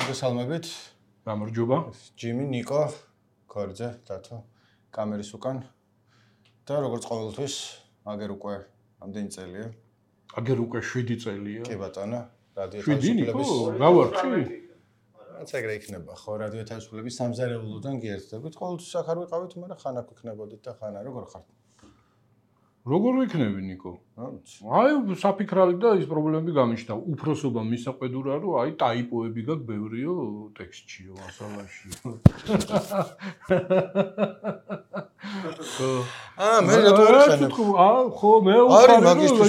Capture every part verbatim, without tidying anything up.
მოგესალმებით. გამარჯობა. ჯიმი, ნიკო, ქორძე, დათო, კამერის უკან და როგორც ყოველთვის, აგერ უკვე ამდენი წელია. აგერ უკვე შვიდი წელია. კი ბატონო, რადიო თავისუფლების გავარჩი. რაც ეგრე იქნება, ხო, რადიო თავისუფლების სამზარეულოდან გიერთდებით. ყოველთვის აქ არ ვიყავით, მაგრამ ხან აქ ვიქნებოდით და ხან არა, როგორ ხართ? როგორ ვიქნები, ნიკო? აი, საფიქრალი და ის პრობლემები გამიშთა. უფროსობა მისაყვედურა, რომ აი ტაიპოები გაქვს ბევრიო ტექსტშიო, მასალაშიო. აა, მე რატო არ ხანებ? აა, ხო, მე უხარ,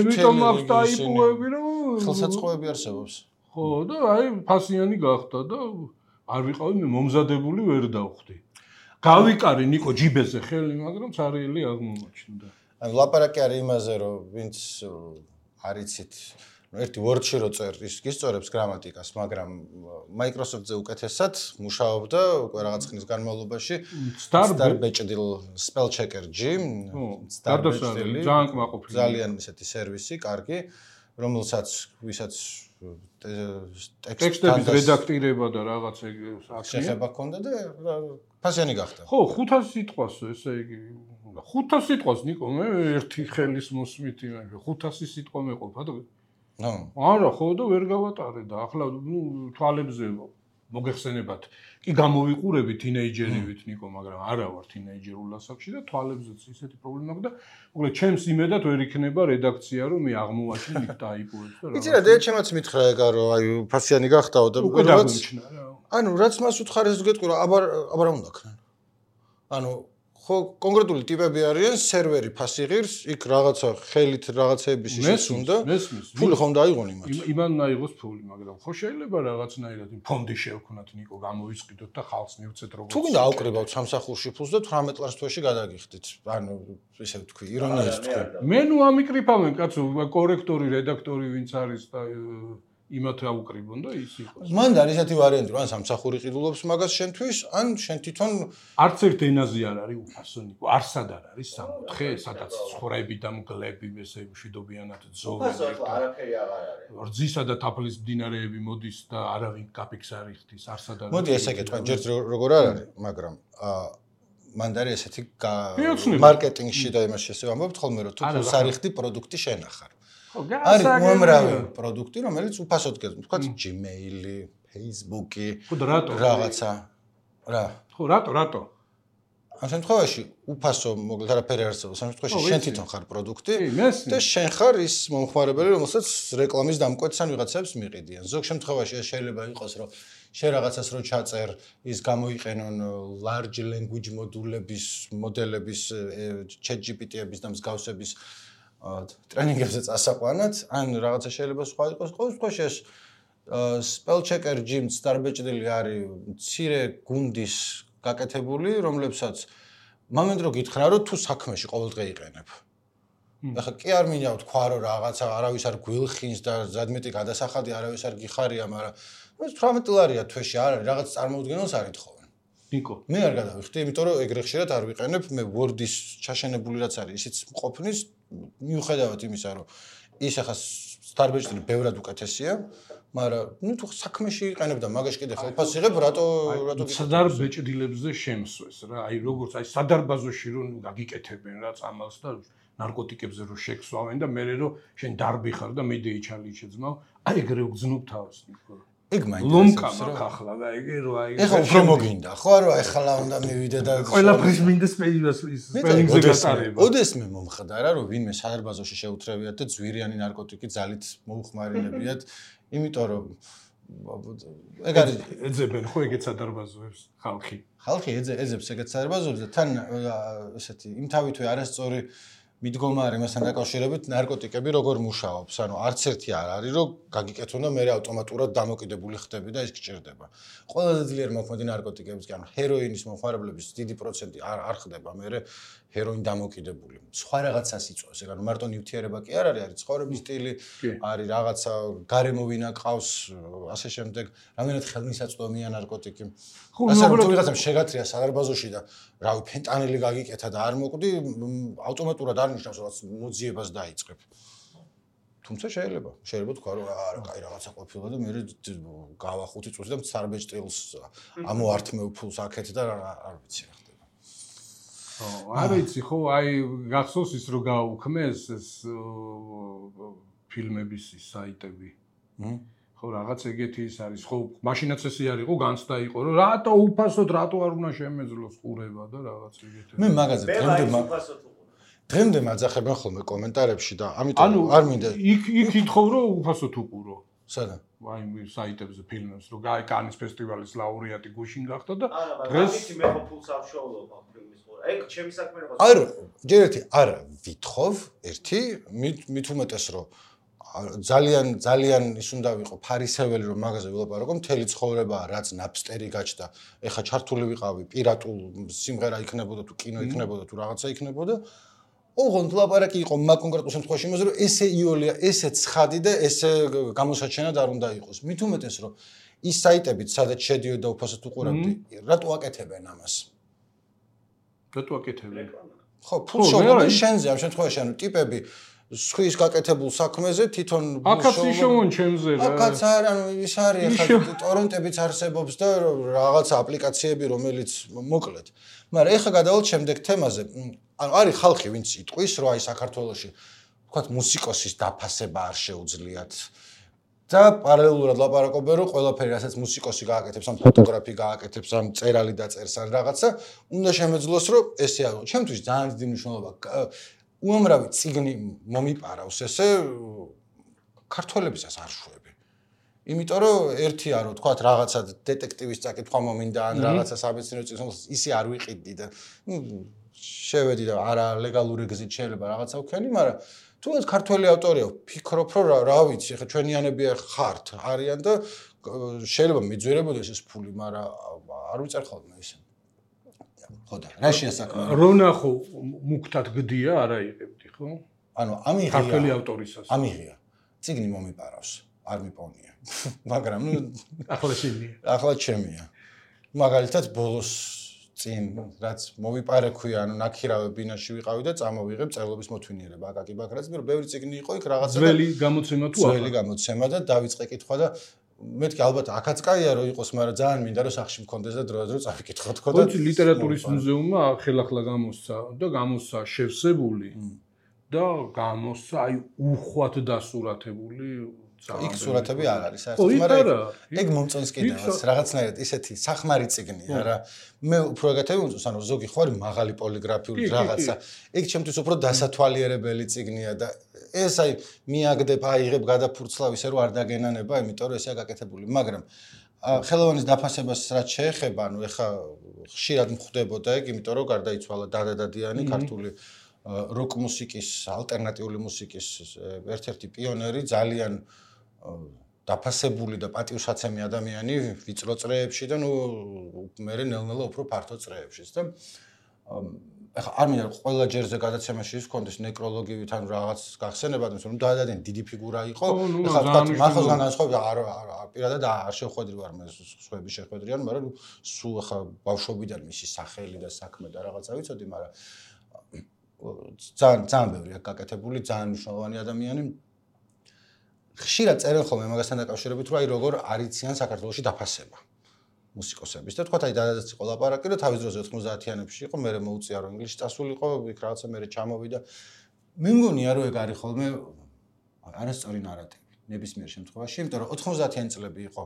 იმიტომ მაქვს ტაიპოები, რომ ხელსაწყოები არსებობს. ხო, და აი ფასიანი გახდა და არ ვიყავი მე მომზადებული ვერ დავხვდი. გავიკარე ნიკო ჯიბეზე ხელი, მაგრამ ცარიელი აღმოჩნდა. ანუ ლაპარაკი არის იმაზე, რომ ვინც არ იცით, ნუ ერთი Word-ში რო წერ, ის გისწორებს გრამატიკას, მაგრამ Microsoft-ზე უკეთესად მუშაობდა უკვე რაღაც ხნის განმავლობაში Starbečdil spell checker G, Starbečdil ძალიან კმაყოფილი. ძალიან ისეთი სერვისი, კარგი, რომელსაც ვისაც ტექსტების რედაქტირება და რაღაც შეხება ჰქონდა და ფასიანი გახდა. ხო, ხუთას სიტყვას, ესე იგი ხუთას სიტყვას ნიკო, მე ერთი ხელის მოსმით იმაში, ხუთასი სიტყვა მეყოფა და ნო. არა, ხო და ვერ გავატარე და ახლა ნუ თვალებზე მოგეხსენებათ. კი გამოვიყურები თინეიჯერივით ნიკო, მაგრამ არა ვარ თინეიჯერულ ასაკში და თვალებზეც ისეთი პრობლემა აქვს და მოკლედ ჩემს იმედად ვერ იქნება რედაქცია, რომ მე აღმოვაჩინე იქ ტაიპოებს და რა. იცი რა, დედაჩემაც მითხრა ეგა, რომ აი ფასიანი გახდაო და რაღაც ანუ რაც მას უთხარეს გეტყვი რა, აბა აბა რა უნდა ქნან. ანუ ხო კონკრეტული ტიპები არიან, სერვერი ფასი ღირს, იქ რაღაცა ხელით რაღაცეების ისიც უნდა. ფული ხომ დაიღონ იმათ. იმან დაიღოს ფული, მაგრამ ხო შეიძლება რაღაცნაირად ფონდი შევქნათ ნიკო, გამოვისყიდოთ და ხალხს მივცეთ როგორც. თუ გინდა ავკრიბავთ სამსახურში ფულს და თვრამეტ ლარს თვეში გადაგიხდით. ანუ ესე ვთქვი, ირონიას ვთქვი. მე ნუ ამიკრიფავენ კაცო, კორექტორი, რედაქტორი ვინც არის და იმათ აუკრიბონ და ის იყოს. მან არის ესეთი ვარიანტი, რომ ან სამსახური ყიდულობს მაგას შენთვის, ან შენ თვითონ არც ერთ ენაზე არ არის უფასო ნიკო, არსად არ არის სამოთხე, სადაც ცხვრები და მგლები ესე მშვიდობიანად ძოვენ. არაფერი აღარ არის. რძისა და თაფლის მდინარეები მოდის და არავინ კაპიქს არ იხდის, არსად არ არის. მოდი ესე კეთვა, ჯერ როგორ არ არის, მაგრამ აა მან არის ესეთი მარკეტინგში და იმაში ესე ვამბობთ ხოლმე, რომ თუ ფულს არ იხდი, პროდუქტი შენ ახარ. არის უამრავი პროდუქტი, რომელიც უფასოდ გეძებთ, თქვათ Gmail-ი, Facebook-ი, რაღაცა. რა? ხო, რატო, რატო? ამ შემთხვევაში უფასო მოკლედ არაფერი არ არსებობს. ამ შემთხვევაში შენ თვითონ ხარ პროდუქტი და შენ ხარ ის მომხმარებელი, რომელსაც რეკლამის დამკვეთს ან ვიღაცებს მიყიდიან. ზოგ შემთხვევაში ეს შეიძლება იყოს, რომ შენ რაღაცას რო ჩაწერ, ის გამოიყენონ large language მოდულების, მოდელების, ChatGPT-ების და მსგავსების ტრენინგებზე წასაყვანად, ან რაღაცა შეიძლება სხვა იყოს. ყოველ შემთხვევაში ეს spell checker G Starbečdil არის მცირე გუნდის გაკეთებული, რომლებსაც მომენტ რო გითხრა, რომ თუ საქმეში ყოველდღე იყენებ. ახლა კი არ მინდა ვთქვა, რომ რაღაცა არავის არ გვილხინს და ზადმეტი გადასახადი არავის არ გიხარია, მაგრამ თვრამეტ ლარია თვეში არ არის, რაღაც წარმოუდგენელს არ ითხოვენ. ნიკო, მე არ გადავიხდი, იმიტომ რომ ეგრე ხშირად არ ვიყენებ, მე Word-ის ჩაშენებული რაც არის, ისიც მყოფნის, მიუხედავად იმისა, რომ ის ახლა Starbečdil ბევრად უკეთესია, მაგრამ ნუ თუ საქმეში იყენებ და მაგაში კიდე ხელფასს იღებ, რატო რატო Starbečdilებზე შემსვეს რა, აი როგორც აი სადარბაზოში რომ გაგიკეთებენ რა წამალს და ნარკოტიკებზე რომ შექსვავენ და მე რომ შენ დარბი ხარ და მედეი ჩალი შეძმავ, აი ეგრე უგზნობ თავს ნიკო. ეგ მაინც ლომკა მაქვს ახლა და ეგ რო აი ეხლა უფრო მოგინდა ხო არა ეხლა უნდა მივიდე და ყველაფრის მინდა სპელიнгზე გატარება. ოდესმე მომხდარა რომ ვინმე სადარბაზოში შეუთრევიათ და ძვირიანი ნარკოტიკი ძალით მოუხმარინებიათ, იმიტომ რომ ეგ არის ეძებენ ხო ეგეთ სადარბაზოებს ხალხი. ხალხი ეძებს ეგეთ სადარბაზოებს და თან ესეთი იმ თავითვე არასწორი მიდგომა მასთან დაკავშირებით ნარკოტიკები როგორ მუშაობს. ანუ არც ერთი არ არის რომ გაგიკეთონ და მე ავტომატურად დამოკიდებული ხდები და ის გჭირდება. ყველაზე ძლიერ მოქმედი ნარკოტიკების კი ანუ ჰეროინის მომხმარებლების დიდი პროცენტი არ არ ხდება მე ჰეროინ დამოკიდებული. სხვა რაღაცას იწვევს. ეგ ანუ მარტო ნივთიერება კი არ არის, არის ცხოვრების სტილი, არის რაღაცა გარემოვინა ყავს, ასე შემდეგ, რამდენად ხელმისაწვდომია ნარკოტიკი. ასე რომ თუ ვიღაცამ შეგათრია სადარბაზოში და რავი ფენტანილი გაგიკეთა და არ მოკვდი, ავტომატურად არ ნიშნავს რომ მოძიებას დაიწყებ. თუ თუმცა შეიძლება შეიძლება თქვა რომ არა კაი რაღაცა ყოფილა და მე გავა ხუთი წუთი და სარბეჭ ტილს ამოართმევ ფულს აქეთ და არ ვიცი რა ხდება. არ ვიცი ხო აი გახსოვს ის რომ გაუქმეს ეს ფილმების საიტები. ხო რაღაც ეგეთი ის არის ხო მაშინაც ესე არის ხო განცდა იყო რომ რატო უფასოდ რატო არ უნდა შემეძლოს ყურება და რაღაც ეგეთი. მე მაგაზე დღემდე დღემდე მაძახებენ ხოლმე კომენტარებში და ამიტომ არ მინდა იქ იქ ითხოვ რომ უფასოდ უყურო. სადა? აი საიტებზე ფილმებს რომ გაი კანის ფესტივალის ლაურეატი გუშინ გახდა და დღეს მე ხო ფულს არ შოულობ ამ ფილმის ყურა. ეგ ჩემი საქმე რა. არა, ჯერ ერთი არა ვითხოვ, ერთი მით უმეტეს რომ ძალიან ძალიან ის უნდა ვიყო ფარისეველი რომ მაგაზე ვილაპარაკო მთელი ცხოვრება რაც ნაპსტერი გაჩნდა ეხა ჩართული ვიყავი პირატულ სიმღერა იქნებოდა თუ კინო იქნებოდა თუ რაღაცა იქნებოდა ოღონდ ლაპარაკი იყო მაგ კონკრეტულ შემთხვევაში იმაზე რომ ესე იოლია ესე ცხადი და ესე გამოსაჩენად არ უნდა იყოს მით უმეტეს რომ ის საიტებიც სადაც შედიოდა უფასოდ უყურებდი რატო აკეთებენ ამას რატო აკეთებენ ხო ფულს შოვდნენ შენზე ამ შემთხვევაში ანუ ტიპები სხვის გაკეთებულ საქმეზე თვითონ აკაც ისევონ ჩემზე რა აკაც არ ანუ ის არის ახლა ტორენტებიც არსებობს და რაღაცა აპლიკაციები რომელიც მოკლედ მაგრამ ეხლა გადავალთ შემდეგ თემაზე ანუ არის ხალხი ვინც იტყვის რომ აი საქართველოში თქვათ მუსიკოსის დაფასება არ შეუძლიათ და პარალელურად ლაპარაკობენ რომ ყველაფერი რასაც მუსიკოსი გააკეთებს ამ ფოტოგრაფი გააკეთებს ამ წერალი დაწერს ან რაღაცა უნდა შემეძლოს რომ ესე არის ჩემთვის ძალიან დიდი მნიშვნელობა უამრავი წიგნი მომიპარავს ესე ქართველებისას არ შვები. იმიტომ რომ ერთია რომ თქვათ რაღაცა დეტექტივის წაკითხვა მომინდა ან რაღაცა საბეცნიერო წიგნს ისე არ ვიყიდი და შევედი და არა ლეგალური გზით შეიძლება რაღაცა ვქენი, მაგრამ თუნდაც ქართველი ავტორია ვფიქრობ რომ რა ვიცი ხა ჩვენიანები ხართ არიან და შეიძლება მიძვირებოდეს ეს ფული, მაგრამ არ ვიწერ ხოლმე ისე. ხოდა რა შეასაქმე რონახო მუქთად გდია არა იღებდი ხო ანუ ამიღია ქართველი ავტორისას ამიღია წიგნი მომიპარავს არ მიპოვნია მაგრამ ნუ ახლა შემია ახლა ჩემია მაგალითად ბოლოს წინ რაც მოვიპარე ქვია ანუ ნაქირავე ბინაში ვიყავი და წამოვიღებ წერლობის მოთვინიერება აკაკი ბაქრაძე მაგრამ ბევრი წიგნი იყო იქ რაღაცა ძველი გამოცემა თუ არა ძველი გამოცემა და დავიწყე კითხვა და მეთქი ალბათ აქაც კაია რომ იყოს, მაგრამ ძალიან მინდა რომ სახში მქონდეს და დროდადრო წავიკითხო თქო და ვიცი ლიტერატურის მუზეუმმა ხელახლა გამოსცა და გამოსცა შევსებული და გამოსცა აი უხვად დასურათებული იქ სურათები არ არის საერთოდ, მაგრამ ეგ მომწონს კიდევაც რაღაცნაირად ისეთი სახმარი წიგნია რა. მე უფრო ეგეთები მომწონს, ანუ ზოგი ხო არის მაღალი პოლიგრაფიული რაღაცა. ეგ ჩემთვის უფრო დასათვალიერებელი წიგნია და ეს აი მიაგდებ, აიღებ გადაფურცლავ ისე რომ არ დაგენანება, იმიტომ რომ ესეა გაკეთებული, მაგრამ ხელოვანის დაფასებას რაც შეეხება, ანუ ეხა ხშირად მხვდებოდა ეგ, იმიტომ რომ გარდაიცვალა დადა დადიანი, ქართული როკ მუსიკის, ალტერნატიული მუსიკის ერთ-ერთი პიონერი, ძალიან დაფასებული და პატივსაცემი ადამიანი ვიწრო წრეებში და ნუ მე ნელ-ნელა უფრო ფართო წრეებშიც და ეხა არ მინდა ყველა ჯერზე გადაცემაში ის კონდეს ნეკროლოგივით ან რაღაც გახსენებად, რომ დაადადენ დიდი ფიგურა იყო. ეხა თქვა მახოზგან განსხვავებით არ პირადად არ შეხვედრი ვარ მე სხვები შეხვედრიან, მაგრამ სულ ეხა ბავშვობიდან მისი სახელი და საქმე და რაღაცა ვიცოდი, მაგრამ ძალიან ძალიან ბევრი აქ გაკეთებული, ძალიან მნიშვნელოვანი ადამიანი. ხშირად წერენ ხოლმე მაგასთან დაკავშირებით, რომ აი როგორ არიციან საქართველოში დაფასება მუსიკოსების და თქვა აი დადადაც იყო ლაპარაკი, რომ თავის დროზე ოთხმოცდაათიანებში იყო, მე მოუწია რომ ინგლისში წასულიყო, იქ რაღაცა მე ჩამოვიდა. მე მგონია რომ ეგ არის ხოლმე არასწორი ნარატივი ნებისმიერ შემთხვევაში, იმიტომ რომ ოთხმოცდაათიანი წლები იყო.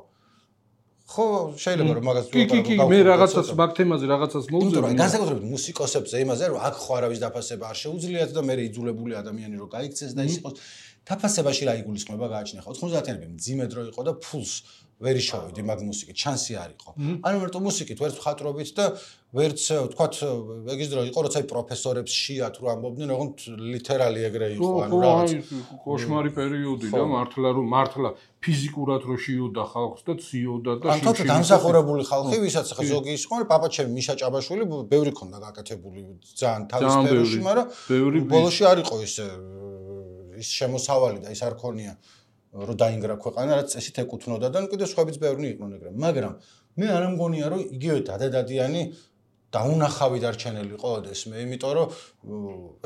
ხო, შეიძლება რომ მაგას კი, კი, კი, მე რაღაცას მაგ თემაზე რაღაცას მოვუწევ. განსაკუთრებით მუსიკოსებზე იმაზე რომ აქ ხო არავის დაფასება არ შეუძლიათ და მე იძულებული ადამიანი რომ გაიქცეს და ის იყოს დაფასებაში რა იგულისხმება გააჩნია. ოთხმოცდაათიანები მძიმე დრო იყო და ფულს ვერ იშოვიდი მაგ მუსიკით, შანსი არ იყო. ანუ მარტო მუსიკით, ვერც მხატვრობით და ვერც თქვათ ეგის დრო იყო, როცა პროფესორებს შეათ რო ამბობდნენ, ოღონდ ლიტერალი ეგრე იყო, ანუ რაღაც კოშმარი პერიოდი და მართლა რომ მართლა ფიზიკურად რო შეიოდა ხალხს და ციოდა და ან თვითონ დამსახურებული ხალხი, ვისაც ხა ზოგი ის ხო, პაპაჩემი მიშა ჭაბაშვილი ბევრი ქონდა გაკეთებული ძალიან თავის სფეროში, მაგრამ ბოლოში არ იყო ისე ის შემოსავალი და ის არ ქონია რომ დაინგრა ქვეყანა, რაც წესით ეკუთვნოდა და კიდე სხვაებიც ბევრი იყვნენ ეგრე. მაგრამ მე არ მგონია რომ იგივე დადადადიანი დაუნახავი დარჩენილი ყოდეს მე, იმიტომ რომ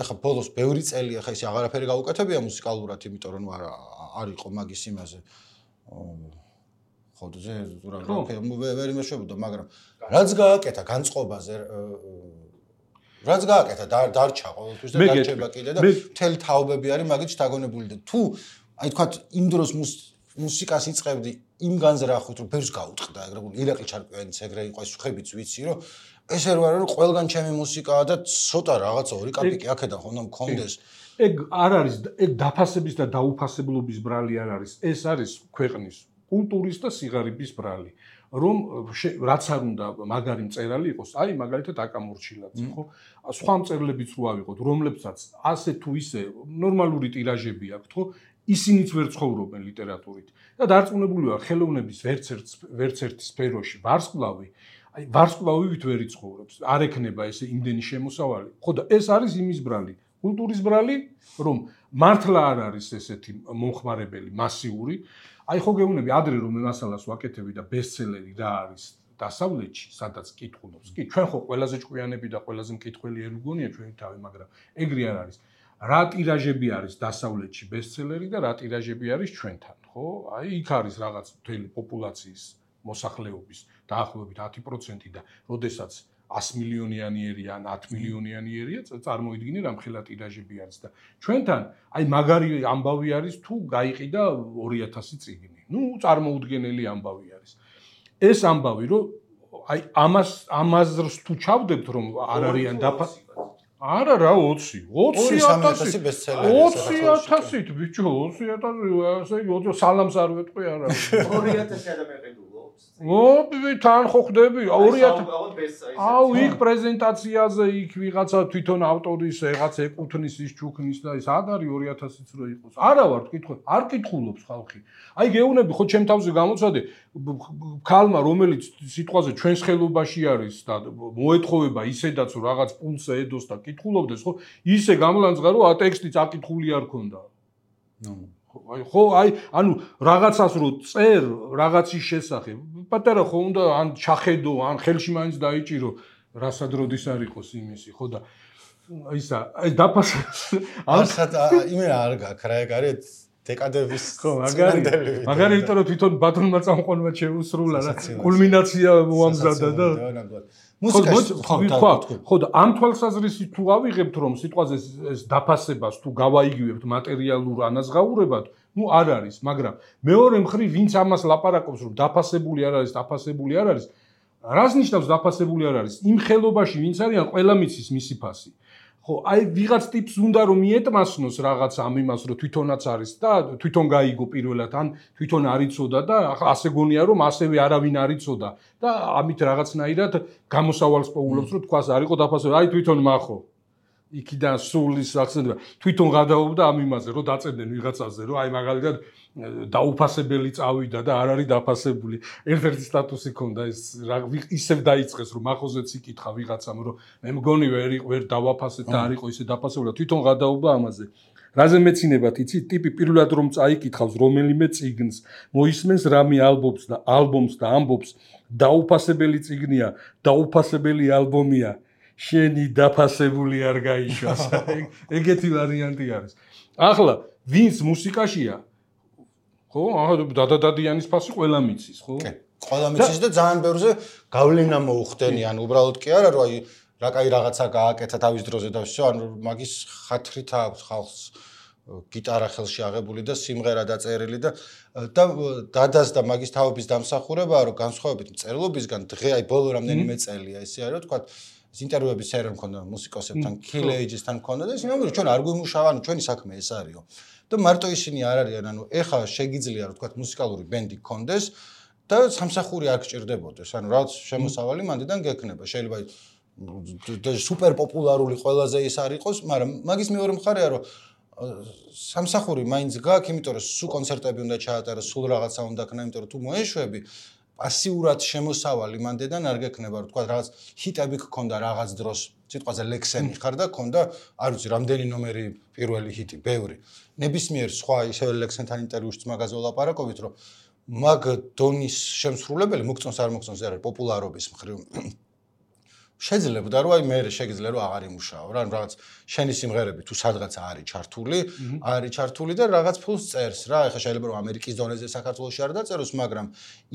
ეხა ბოლოს ბევრი წელი ეხა ისე აღარაფერი გაუკეთებია მუსიკალურად, იმიტომ რომ არ არ იყო მაგის იმაზე. ხო, ზე რა ვერ იმეშვებოდა, მაგრამ რაც გააკეთა განწყობაზე რაც გააკეთა დარჩა ყოველთვის და დარჩება კიდე და მთელი თაობები არის მაგით შთაგონებული და თუ აი თქვა იმ დროს მუსიკას იწყებდი იმ განზრახვით რომ ბევრს გაუტყდა ეგრე ირაკლი ჩარკვიანიც ეგრე იყო ეს ხებიც ვიცი რომ ეს არ არის რომ ყველგან ჩემი მუსიკაა და ცოტა რაღაცა ორი კაპიკი აქედან ხომ მქონდეს ეგ არ არის ეგ დაფასების და დაუფასებლობის ბრალი არ არის ეს არის ქვეყნის კულტურის და სიღარიბის ბრალი რომ რაც არ უნდა მაგარი მწერალი იყოს, აი მაგალითად აკამორჩილაძე, ხო? სხვა მწერლებიც რო ავიღოთ, რომლებსაც ასე თუ ისე ნორმალური ტირაჟები აქვთ, ხო? ისინიც ვერ ცხოვრობენ ლიტერატურით. და დარწმუნებული ვარ, ხელოვნების ვერც ერთ ვერც ერთ სფეროში ვარსკვლავი, აი ვარსკვლავივით ვერ იცხოვრობს. არ ექნება ესე იმდენი შემოსავალი. ხო და ეს არის იმის ბრალი, კულტურის ბრალი, რომ მართლა არ არის ესეთი მომხმარებელი მასიური აი ხო გეუბნები ადრე რომ მე მასალას ვაკეთები და ბესტსელერი რა არის დასავლეთში, სადაც კითხულობს. კი, ჩვენ ხო ყველაზე ჭკვიანები და ყველაზე მკითხველი ер მგონია ჩვენი თავი, მაგრამ ეგრე არ არის. რა ტირაჟები არის დასავლეთში ბესტსელერი და რა ტირაჟები არის ჩვენთან, ხო? აი იქ არის რაღაც მთელი პოპულაციის მოსახლეობის დაახლოებით ათი პროცენტი და როდესაც ას მილიონიანი ან ათ მილიონიანი ერია, წარმოიდგინე რამხელა ტირაჟები არის და ჩვენთან აი მაგარი ამბავი არის თუ გაიყიდა ორი ათასი წიგნი. ნუ წარმოუდგენელი ამბავი არის. ეს ამბავი რომ აი ამას ამაზრს თუ ჩავდებთ რომ არ არიან დაფა არა რა ოცი ოცი ათასი ბესტსელერი ოცი ათასით ბიჭო ოცი ათასი ასე სალამს არ ვეტყვი არა ორი ათასი ადამიანები ო თან ხო ხდები ორი ათასი აუ იქ პრეზენტაციაზე იქ ვიღაცა თვითონ ავტორის რაღაც ეკუთვნის ის ჩუქნის და ის არ არის ორი ათასიც რო იყოს არა ვარ თქვი არ კითხულობს ხალხი აი გეუბნები ხო ჩემ თავზე გამოცადე ქალმა რომელიც სიტყვაზე ჩვენს ხელობაში არის და მოეთხოვება ისედაც რაღაც პულს ედოს და კითხულობდეს ხო ისე გამლანძღა რომ ტექსტიც აკითხული არ ქონდა ნუ აი ხო აი ანუ რაღაცას რო წერ რაღაცის შესახებ პატარა ხო უნდა ან ჩახედო ან ხელში მაინც დაიჭირო რასადროდის არ იყოს იმისი ხო და ისა აი დაფასე ახლა იმენა არ გაქვს რა ეგ არის დეკადების ხო მაგარი მაგარი იმიტომ რომ თვითონ ბატონმა წამყვანმა შეუსრულა რა კულმინაცია მოამზადა და მუსიკაში ხო ხო და ამ თვალსაზრისით თუ ავიღებთ რომ სიტყვაზე ეს დაფასებას თუ გავაიგივებთ მატერიალურ ანაზღაურებად ნუ არ არის მაგრამ მეორე მხრივ ვინც ამას ლაპარაკობს რომ დაფასებული არ არის დაფასებული არ არის რას ნიშნავს დაფასებული არ არის იმ ხელობაში ვინც არიან ყველა მიცის მისი ფასი ხო აი ვიღაც ტიპს უნდა რომ მიეტმასნოს რაღაც ამ იმას რომ თვითონაც არის და თვითონ გაიგო პირველად ან თვითონ არიწოდა და ახლა ასე გონია რომ ასევე არავინ არიწოდა და ამით რაღაცნაირად გამოსავალს პოულობს რომ თქვას არ იყო დაფასებული აი თვითონ მახო იქიდან სულის აქცენტება თვითონ გადაობდა ამ იმაზე რომ დაწებდნენ ვიღაცაზე რომ აი მაგალითად დაუფასებელი წავიდა და არ არის დაფასებული ერთ-ერთი სტატუსი ქონდა ეს ისევ დაიწყეს რომ მახოზეც იკითხა ვიღაცამ რომ მე მგონი ვერ ვერ დავაფასეთ და არ იყო ისე დაფასებული თვითონ გადაობა ამაზე რაზე მეცინებათ იცი ტიპი პირველად რომ წაიკითხავს რომელიმე წიგნს მოისმენს რამე ალბომს და ალბომს და ამბობს დაუფასებელი წიგნია დაუფასებელი ალბომია შენი დაფასებული არ გაიშვას ეგეთი ვარიანტი არის ახლა ვინც მუსიკაშია ხო ახლა დადადადიანის ფასი ყველა მიცის ხო კი ყველა მიცის და ძალიან ბევრზე გავლენა მოუხდენი ან უბრალოდ კი არა რომ აი რა კაი რაღაცა გააკეთა თავის დროზე და всё ანუ მაგის ხათრით აქვს ხალხს გიტარა ხელში აღებული და სიმღერა დაწერილი და და დადას და მაგის თავების დამსახურებაა რომ განსხვავებით მწერლობისგან დღე აი ბოლო რამდენიმე წელია ესე არის რომ თქვა ეს ინტერვიუების სერია მქონდა მუსიკოსებთან Kill Ages-თან მქონდა და ისინი ამბობენ ჩვენ არ გვიმუშავა ანუ ჩვენი საქმე ეს არისო და მარტო ისინი არ არიან ანუ ეხლა შეგიძლია რომ თქვა მუსიკალური ბენდი გქონდეს და სამსახური არ გჭირდებოდეს ანუ რაც შემოსავალი მანდიდან გექნება შეიძლება სუპერ პოპულარული ყველაზე ის არ იყოს მაგრამ მაგის მეორე მხარეა რომ სამსახური მაინც გაქვს იმიტომ რომ სულ კონცერტები უნდა ჩაატაროს სულ რაღაცა უნდა ქნა იმიტომ რომ თუ მოეშვები პასიურად შემოსავალი მანდიდან არ გექნება რომ თქვა რაღაც ჰიტები გქონდა რაღაც დროს სიტყვაზე ლექსენი ხარ და გქონდა არ ვიცი რამდენი ნომერი პირველი ჰიტი ბევრი ნებისმიერ სხვა ისევ ლექსენთან ინტერვიუშიც მაგაზე ვლაპარაკობთ რომ მაგ დონის შემსრულებელი მოგწონს არ მოგწონს არის პოპულარობის მხრივ შეძლებდა რომ აი მე შეგიძლია რომ აღარ იმუშაო რა რაღაც შენი სიმღერები თუ სადღაც არის ჩართული არის ჩართული და რაღაც ფულს წერს რა ეხლა შეიძლება რომ ამერიკის დონეზე საქართველოში არ დაწეროს მაგრამ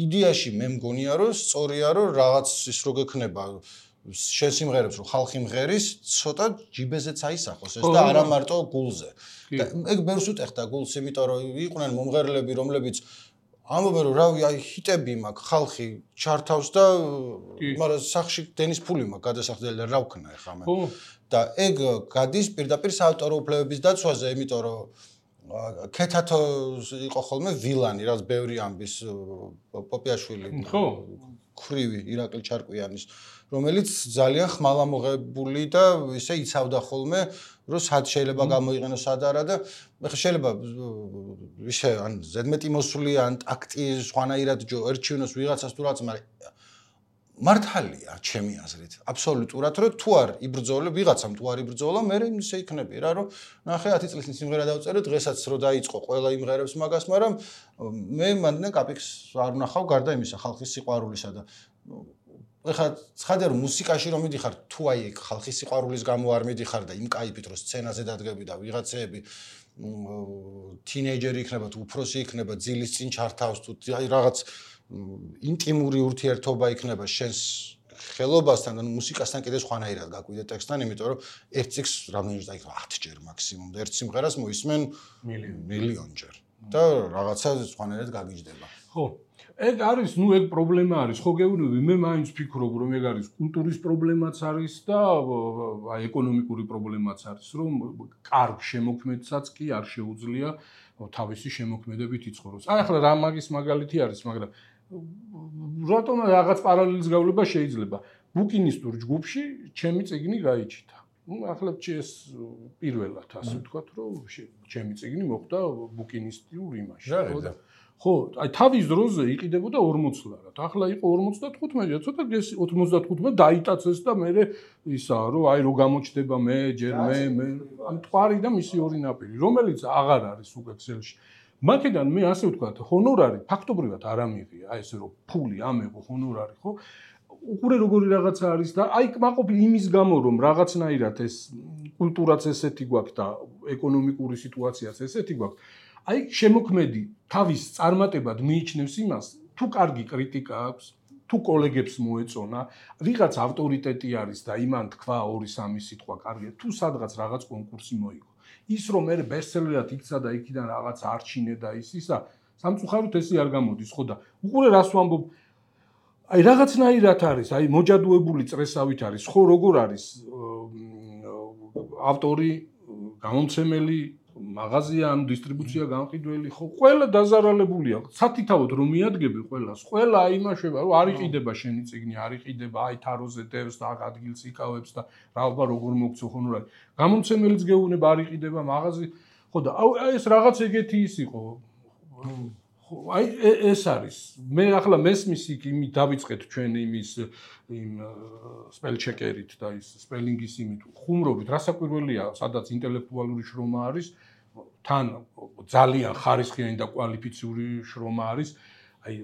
იდეაში მე მგონია რომ სწორია რომ რაღაც ის რო გექნება შენ სიმღერებს რომ ხალხი მღერის ცოტა ჯიბეზეც აისახოს ეს და არა მარტო გულზე და ეგ ბერს უტეხდა გულს იმიტომ რომ იყვნენ მომღერლები რომლებიც ამბობენ რომ რავი აი ჰიტები მაქვს ხალხი ჩართავს და მაგრამ სახში დენის ფული მაქვს გადასახდელი და რა ვქნა ეხლა მე და ეგ გადის პირდაპირ საავტორო უფლებების დაცვაზე იმიტომ რომ ქეთათო იყო ხოლმე ვილანი რაც ბევრი ამბის პოპიაშვილი ხო ქრივი ირაკლი ჩარკვიანის რომელიც ძალიან ხმალამოღებული და ისე იცავდა ხოლმე რომ სად შეიძლება გამოიყენოს სად არა და ეხლა შეიძლება ისე ან ზედმეტი მოსული ან ტაქტი სხვანაირად ერჩივნოს ვიღაცას თუ რაღაც მაგრამ მართალია ჩემი აზრით აბსოლუტურად რომ თუ არ იბრძოლე ვიღაცამ თუ არ იბრძოლა მე ისე იქნები რა რომ ნახე ათი წლის სიმღერა დავწერე დღესაც რო დაიწყო ყველა იმღერებს მაგას მაგრამ მე მანდ კაპიქს არ ვნახავ გარდა იმისა ხალხის სიყვარულისა და ეხლა ცხადია რომ მუსიკაში რომ მიდიხარ თუ აი ეგ ხალხის სიყვარულის გამო არ მიდიხარ და იმ кайფით რომ სცენაზე დადგები და ვიღაცეები თინეიჯერი იქნება თუ უფროსი იქნება ძილის წინ ჩართავს თუ აი რაღაც ინტიმური ურთიერთობა იქნება შენს ხელობასთან და მუსიკასთან კიდე სხვანაირად გაკვიდე ტექსტთან იმიტომ რომ ერთ წიგს რამდენჯერ დაიქრა ათი ჯერ მაქსიმუმ და ერთ სიმღერას მოისმენ მილიონჯერ და რაღაცა სხვანაირად გაგიჯდება ხო ეგ არის ნუ ეგ პრობლემა არის ხო გეუბნები მე მაინც ვფიქრობ რომ ეგ არის კულტურის პრობლემაც არის და აი ეკონომიკური პრობლემაც არის რომ კარგ შემოქმედსაც კი არ შეუძლია თავისი შემოქმედებით იცხოვროს აი ახლა რა მაგის მაგალითი არის მაგრამ რატომ რაღაც პარალელის გავლება შეიძლება ბუკინისტურ ჯგუფში ჩემი წიგნი გაიჩიტა ну ახლა ეს პირველად ასე ვთქვათ რომ ჩემი წიგნი მოხვდა ბუკინისტურ იმაში ხო აი თავის დროზე იყიდებოდა ორმოც ლარად ახლა იყო ორმოცდათხუთმეტი ცოტა ოცდათხუთმეტი დაიტაცეს და მე ისა რომ აი რო გამოჩდება მე ჯერ მე მე ამ თვარი და მისი ორი ნაპირი რომელიც აღარ არის უკვე ქსელში მაქედან მე ასე ვთქვათ ჰონორარი ფაქტობრივად არ ამიღია აი ესე რომ ფული ამეღო ჰონორარი ხო უყურე როგორი რაღაცა არის და აი კმაყოფილი იმის გამო რომ რაღაცნაირად ეს კულტურაც ესეთი გვაქვს და ეკონომიკური სიტუაციაც ესეთი გვაქვს აი შემოქმედი თავის წარმატებად მიიჩნევს იმას თუ კარგი კრიტიკა აქვს თუ კოლეგებს მოეწონა ვიღაც ავტორიტეტი არის და იმან თქვა ორი სამი სიტყვა კარგია თუ სადღაც რაღაც კონკურსი მოიგო ის რომ მე ბესტსელერად იქცა და იქიდან რაღაც არჩინე და ის ისა სამწუხაროდ ესე არ გამოდის ხო და უყურე რას ვამბობ აი რაღაცნაირად არის აი მოჯადუებული წრესავით არის ხო როგორ არის ავტორი გამომცემელი მაღაზია ან დისტრიბუცია გამყიდველი ხო ყველა დაზარალებულია სათითაოდ რომ მიადგები ყველას ყველა აიმაშება რომ არ იყიდება შენი წიგნი არ იყიდება აი თაროზე დევს და ადგილს იკავებს და რა როგორ მოგცო ხონორად გამომცემელიც გეუბნება არ იყიდება მაღაზი ხო და აი ეს რაღაც ეგეთი ის იყო ხო აი ეს არის მე ახლა მესმის იქ იმით დავიწყეთ ჩვენ იმის იმ სპელჩეკერით და ის სპელინგის იმით ხუმრობით რასაკვირველია სადაც ინტელექტუალური შრომა არის თან ძალიან ხარისხიანი და კვალიფიციური შრომა არის აი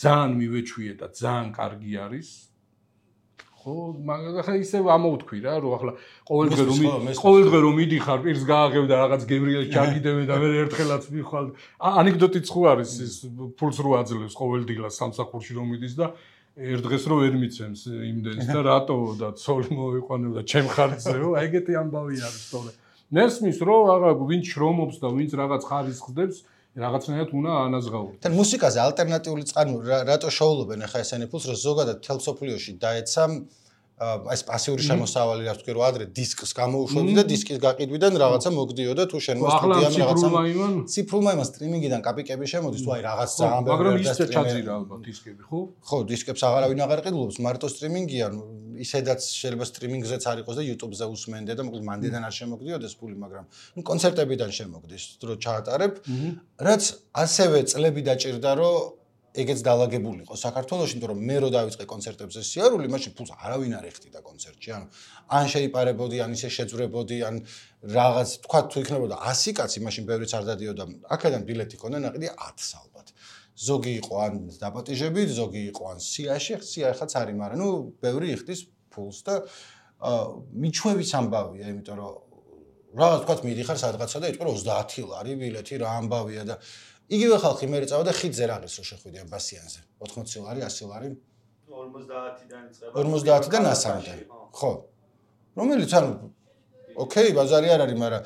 ძალიან მივეჩვიე და ძალიან კარგი არის ხო მაგრამ ახლა ისე ამოვთქვი რა რომ ახლა ყოველდღე რომ ყოველდღე რომ მიდიხარ პირს გააღებ და რაღაც გებრიელს ჩაგიდებ და მე ერთხელაც მიხვალ ანეკდოტიც ხო არის ის ფულს რო აძლევს ყოველდღილა სამსახურში რომ მიდის და ერთ დღეს რო ვერ მიცემს იმდენს და რატო და ცოლი მოვიყვანებ და ჩემ ხარჯზეო აი ეგეთი ამბავი არის თორე ნესმის რო აღა ვინც შრომობს და ვინც რაღაც ხარისხს ხდებს რაღაცნაირად უნდა ანაზღაურდეს. თან მუსიკაზე ალტერნატიული წყარნი რატო შოულობენ ახლა ესენი ფულს რომ ზოგადად თელ სოფლიოში დაეცა ეს პასიური შემოსავალი რაც თქვი რომ ადრე დისკს გამოუშვებდი და დისკის გაყიდვიდან რაღაცა მოგდიოდა თუ შენ მოსტუდიამ რაღაცა ციფრულმა იმან სტრიმინგიდან კაპიკები შემოდის თუ აი რაღაც ძალიან ბევრი მაგრამ ის ჩაძირა ალბათ დისკები ხო? ხო დისკებს აღარავინ აღარ ყიდულობს მარტო სტრიმინგია ისედაც შეიძლება სტრიმინგზეც არ იყოს და YouTube-ზე უსმენდე და მოკლედ მანდიდან არ შემოგდიოდეს ფული მაგრამ ნუ კონცერტებიდან შემოგდის რო ჩაატარებ რაც ასევე წლები დაჭირდა რომ ეგეც დალაგებულიყო საქართველოში, იმიტომ რომ მე რო დავიწყე კონცერტებზე სიარული, მაშინ ფულს არავინ არ ეხტიდა კონცერტში. ანუ ან შეიპარებოდი, ან ისე შეძვრებოდი, ან რაღაც თქვა თუ იქნებოდა ასი კაცი, მაშინ ბევრიც არ დადიოდა. აქედან ბილეთი ქონდა ნაყიდი ათს ალბათ. ზოგი იყო ან დაპატიჟებით, ზოგი იყო ან სიაში, სია ხაც არის, მაგრამ ნუ ბევრი იხდის ფულს და მიჩვევის ამბავია, იმიტომ რომ რაღაც თქვა მიდიხარ სადღაცა და იტყვი ოცდაათი ლარი ბილეთი რა ამბავია და იგივე ხალხი მე წავა და ხიდზე რაღაც რო შეხვიდიან ბასიანზე ოთხმოცი ლარი ასი ლარი ორმოცდაათიდან იწყება ორმოცდაათიდან ასამდე ხო რომელიც ანუ ოკეი ბაზარი არ არის მაგრამ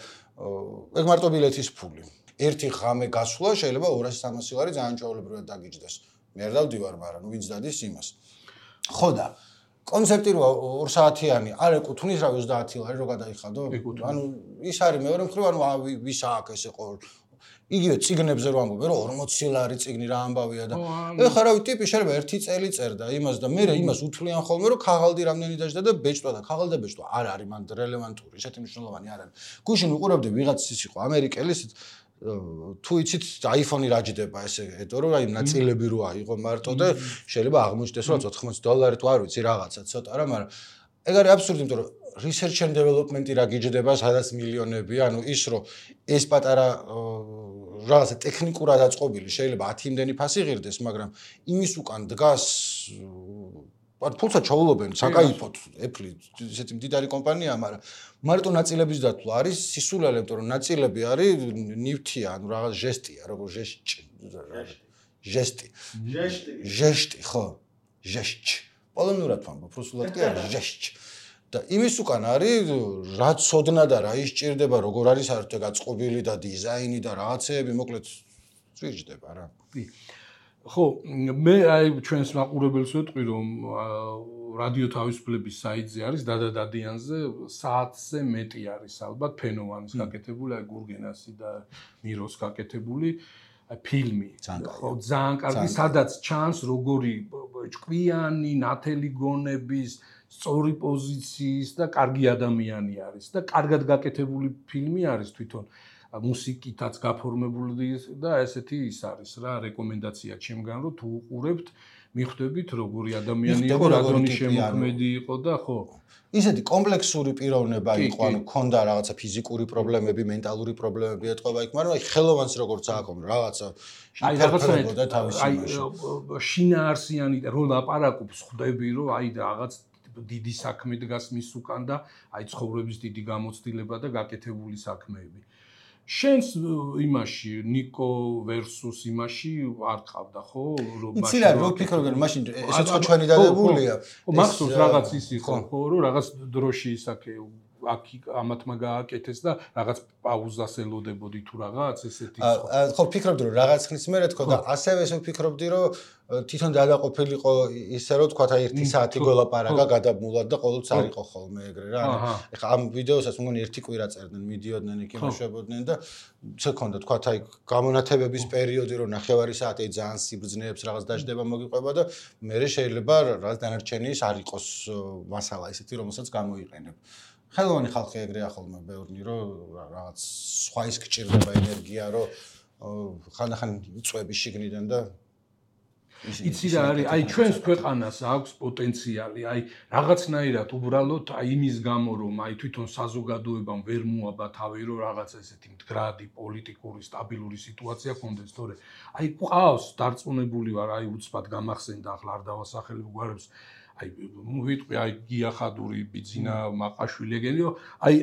ეგ მარტო ბილეთის ფული ერთი ღამე გასვლა შეიძლება ორასი სამასი ლარი ძალიან ჩვეულებრივად დაგიჯდეს მე არ დავდივარ მაგრამ ვინც დადის იმას ხო და კონცეპტი რო ორ საათიანი არ ეკუთვნის რა ოცდაათი ლარი რო გადაიხადო ანუ ის არის მეორე მხრივ ანუ ვის აქვს ესე ყოველ იგივე ციგნებზე რო ამბობენ რომ ორმოცი ლარი ციგნი რა ამბავია და ეხლა რავი ტიპი შეიძლება ერთი წელი წერდა იმას და მე იმას უთვლიან ხოლმე რომ ქაღალდი რამდენი დაждდა და ბეჭდვა და ქაღალდი და ბეჭდვა არ არის მან რელევანტური ისეთი მნიშვნელოვანი არ არის გუშინ უყურებდი ვიღაც ის იყო ამერიკელი თუ იცით iPhone-ი რაჯდება ესე ეტო რომ აი ნაწილები რო აიღო მარტო და შეიძლება აღმოჩნდეს რომ ოთხმოცი დოლარი თუ არ ვიცი რაღაცა ცოტა რა მაგრამ ეგ არის აბსურდი იმიტომ რომ research and development-ი რა გიჯდება სადაც მილიონები ანუ ის რომ ეს პატარა რაღაცა ტექნიკურად აწყობილი შეიძლება ათი იმდენი ფასი ღირდეს მაგრამ იმის უკან დგას ან ფულსაც ჩაულობენ საკაიფოთ Apple ესეთი მდიდარი კომპანია მაგრამ მარტო ნაწილების დათვლა არის სისულელე იმიტომ რომ ნაწილები არის ნივთია ანუ რაღაც ჟესტია როგორ ჟესტი ჟესტი ჟესტი ჟესტი ხო ჟესტი პოლონურად ვამბობ რუსულად კი არა ჟესტი და იმის უკან არის რა ცოდნა და რა ისჭირდება როგორ არის საერთოდ გაწყობილი და დიზაინი და რაღაცეები მოკლედ წვიჯდება რა ხო მე აი ჩვენს მაყურებელს ვეტყვი რომ რადიო თავისუფლების საიტზე არის დადადადიანზე საათზე მეტი არის ალბათ ფენოვანის გაკეთებული აი გურგენასი და მიროს გაკეთებული ფილმი ხო ძალიან კარგი სადაც ჩანს როგორი ჭკვიანი ნათელი გონების სწორი პოზიციის და კარგი ადამიანი არის და კარგად გაკეთებული ფილმი არის თვითონ მუსიკითაც გაფორმებული და ესეთი ის არის რა რეკომენდაცია ჩემგან რომ თუ უყურებთ მიხვდებით როგორი ადამიანი იყო რა დონის შემოქმედი იყო და ხო ისეთი კომპლექსური პიროვნება იყო ანუ ქონდა რაღაცა ფიზიკური პრობლემები მენტალური პრობლემები ეთყობა იქ მაგრამ აი ხელოვანს როგორც აქვს რაღაცა აი რაღაცა და თავის იმაში აი შინაარსიანი რო ლაპარაკობს ხვდები რომ აი რაღაც დიდი საქმე დგას მის უკან და აი ცხოვრების დიდი გამოცდილება და გაკეთებული საქმეები შენს იმაში ნიკო versus იმაში არ ყავდა ხო რომ მაშინ იცი რა რო ფიქრობენ მაშინ ესეც ხო ჩვენი დადებულია ხო მახსოვს რაღაც ის იყო ხო რომ რაღაც დროში ისაკე აქ ამათმა გააკეთეს და რაღაც პაუზას ელოდებოდი თუ რაღაც ესეთი ხო ფიქრობდი რომ რაღაც ხნის მერე თქო და ასევე ესე ვფიქრობდი რომ თვითონ დადაყოფილიყო ისე რომ თქვა აი ერთი საათი გოლაპარაკა გადაბმულად და ყოველთვის არ იყო ხოლმე ეგრე რა ეხლა ამ ვიდეოსაც მგონი ერთი კვირა წერდნენ მიდიოდნენ იქ იმუშავებოდნენ და ცე ქონდა თქვა აი გამონათებების პერიოდი რომ ნახევარი საათი ძალიან სიბრძნეებს რაღაც დაждდება მოგიყვება და მე შეიძლება რაღაც დანარჩენი ის არ იყოს მასალა ისეთი რომელსაც გამოიყენებ ხელოვანი ხალხი ეგრეა ხოლმე ბევრი რომ რაღაც სხვა ის გჭირდება ენერგია რომ ხანდახან იწვევი შიგნიდან და იცი რა არის აი ჩვენს ქვეყანას აქვს პოტენციალი აი რაღაცნაირად უბრალოდ აი იმის გამო რომ აი თვითონ საზოგადოებამ ვერ მოაბა თავი რომ რაღაც ესეთი მდგრადი პოლიტიკური სტაბილური სიტუაცია ქონდეს თორე აი ყავს დარწმუნებული ვარ აი უცბად გამახსენდა ახლა არ დავასახელებ გვარებს აი ვიტყვი აი გიახადური ბიძინა მაყაშვილი ეგენიო აი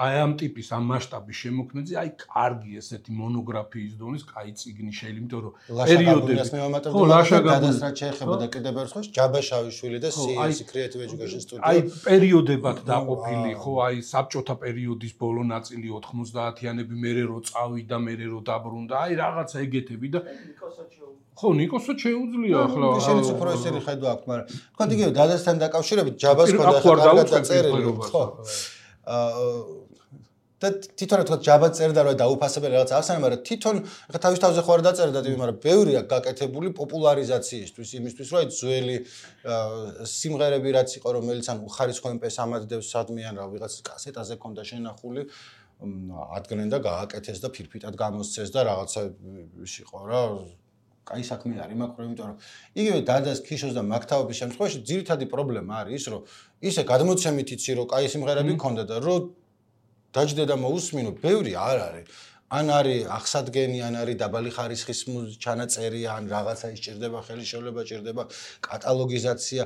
აი ამ ტიპის ამ მასშტაბის შემოქმედზე აი კარგი ესეთი მონოგრაფიის დონის კაი წიგნი შეიძლება იმიტომ რომ პერიოდები ხო ლაშაგაბუნიას შეეხება და კიდევ ერთ ხოს ჯაბაშავილ და სი ეს Creative Education Studio აი პერიოდებად დაყოფილი ხო აი საბჭოთა პერიოდის ბოლო ნაწილი ოთხმოცდაათიანები მერე რო წავიდა მერე რო დაბრუნდა აი რაღაცა ეგეთები და ხო ნიკოსაც შეუძლია ახლა შენიც უფრო ესენი ხედვა აქვს მაგრამ თქვა იგივე დადასთან დაკავშირებით ჯაბას ქონდა კარგად დაწერილი ხო და თვითონ თქვა ჯაბა წერდა რომ დაუფასებელი რაღაც ახსენა მაგრამ თვითონ ხა თავის თავზე ხო არ დაწერდა ტიპი მაგრამ ბევრია გაკეთებული პოპულარიზაციისთვის იმისთვის რომ აი ძველი სიმღერები რაც იყო რომელიც ან უხარისხო ემპეს ამადდევს სადმიან რა ვიღაც კასეტაზე ქონდა შენახული ადგენენ და გააკეთეს და ფირფიტად გამოსცეს და რაღაცა ის იყო რა კაი საქმე არის მაგრამ იმიტომ რომ იგივე დადას ქიშოს და მაქთაობის შემთხვევაში ძირითადი პრობლემა არის ის რომ ისე გადმოცემით იცი რომ კაი სიმღერები ქონდა და რომ დაждდა და მოусმინო ბევრი არ არის ან არის აღსადგენი, ან არის დაბალი ხარისხის ჩანაწერი, ან რაღაცა ისჭირდება, ხელისშევლება ჭირდება, კატალოგიზაცია.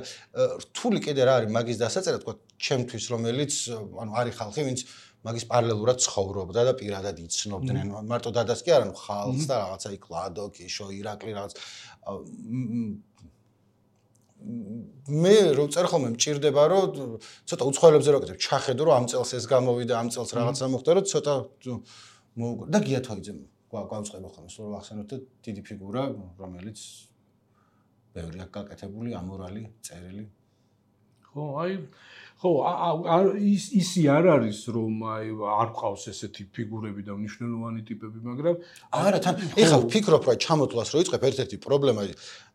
რთული კიდე რა არის მაგის დასაწერად, თქვა ჩემთვის, რომელიც ანუ არის ხალხი, ვინც მაგის პარალელურად ცხოვრობდა და პირადად იცნობდნენ. მარტო დადას კი არა, ნუ ხალხს და რაღაცა იქ ლადო, კიშო, ირაკლი რაღაც მე რო წერ ხოლმე მჭირდება რომ ცოტა უცხოელებზე რო ვაკეთებ ჩახედო რომ ამ წელს ეს გამოვიდა ამ წელს რაღაცა მოხდა რომ ცოტა და გიათოიძე გვაუწყება ხოლმე სულ ვახსენოთ და დიდი ფიგურა რომელიც ბევრი აქ გაკეთებული ამორალი წერილი ხო აი ხო ის ისი არ არის რომ აი არ ყავს ესეთი ფიგურები და მნიშვნელოვანი ტიპები მაგრამ არა თან ეხლა ვფიქრობ რომ ჩამოთვლას რო იწყებ ერთ-ერთი პრობლემა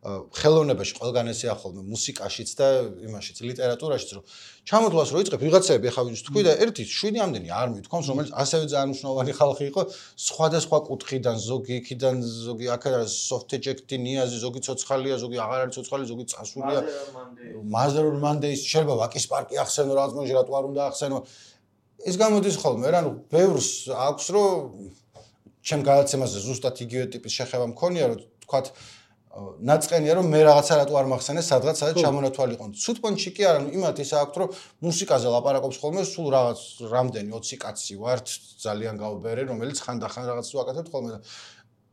ხელოვნებაში ყველგან ესეა ხოლმე მუსიკაშიც და იმაშიც ლიტერატურაშიც რომ ჩამოთვლას რო იწყებ ვიღაცები ახლა ვინც თქვი და ერთი შვიდი ამდენი არ მithქვამს რომელიც ასევე ძალიან მნიშვნელოვანი ხალხი იყო სხვადასხვა კუთხიდან ზოგი იქიდან ზოგი აქ არის სოფთეჯექტი ნიაზი ზოგი ცოცხალია ზოგი აღარ არის ცოცხალი ზოგი წასულია მაზერულ მანდეის შეიძლება ვაკის პარკი ახსენო რაღაც მოჟი რატო არ უნდა ახსენო ეს გამოდის ხოლმე რა ნუ ბევრს აქვს რომ ჩემ გადაცემაზე ზუსტად იგივე ტიპის შეხება მქონია რომ თქვათ ნაწყენია რომ მე რაღაცა რატო არ მახსენე სადღაც სადაც ჩამონათვალიყო. ცუდ პონჩი კი არა, ნუ იმათ ის აქვს რომ მუსიკაზე ლაპარაკობს ხოლმე სულ რაღაც რამდენი ოცი კაცი ვართ ძალიან გავბერე რომელიც ხანდახან რაღაცას ვაკეთებთ ხოლმე და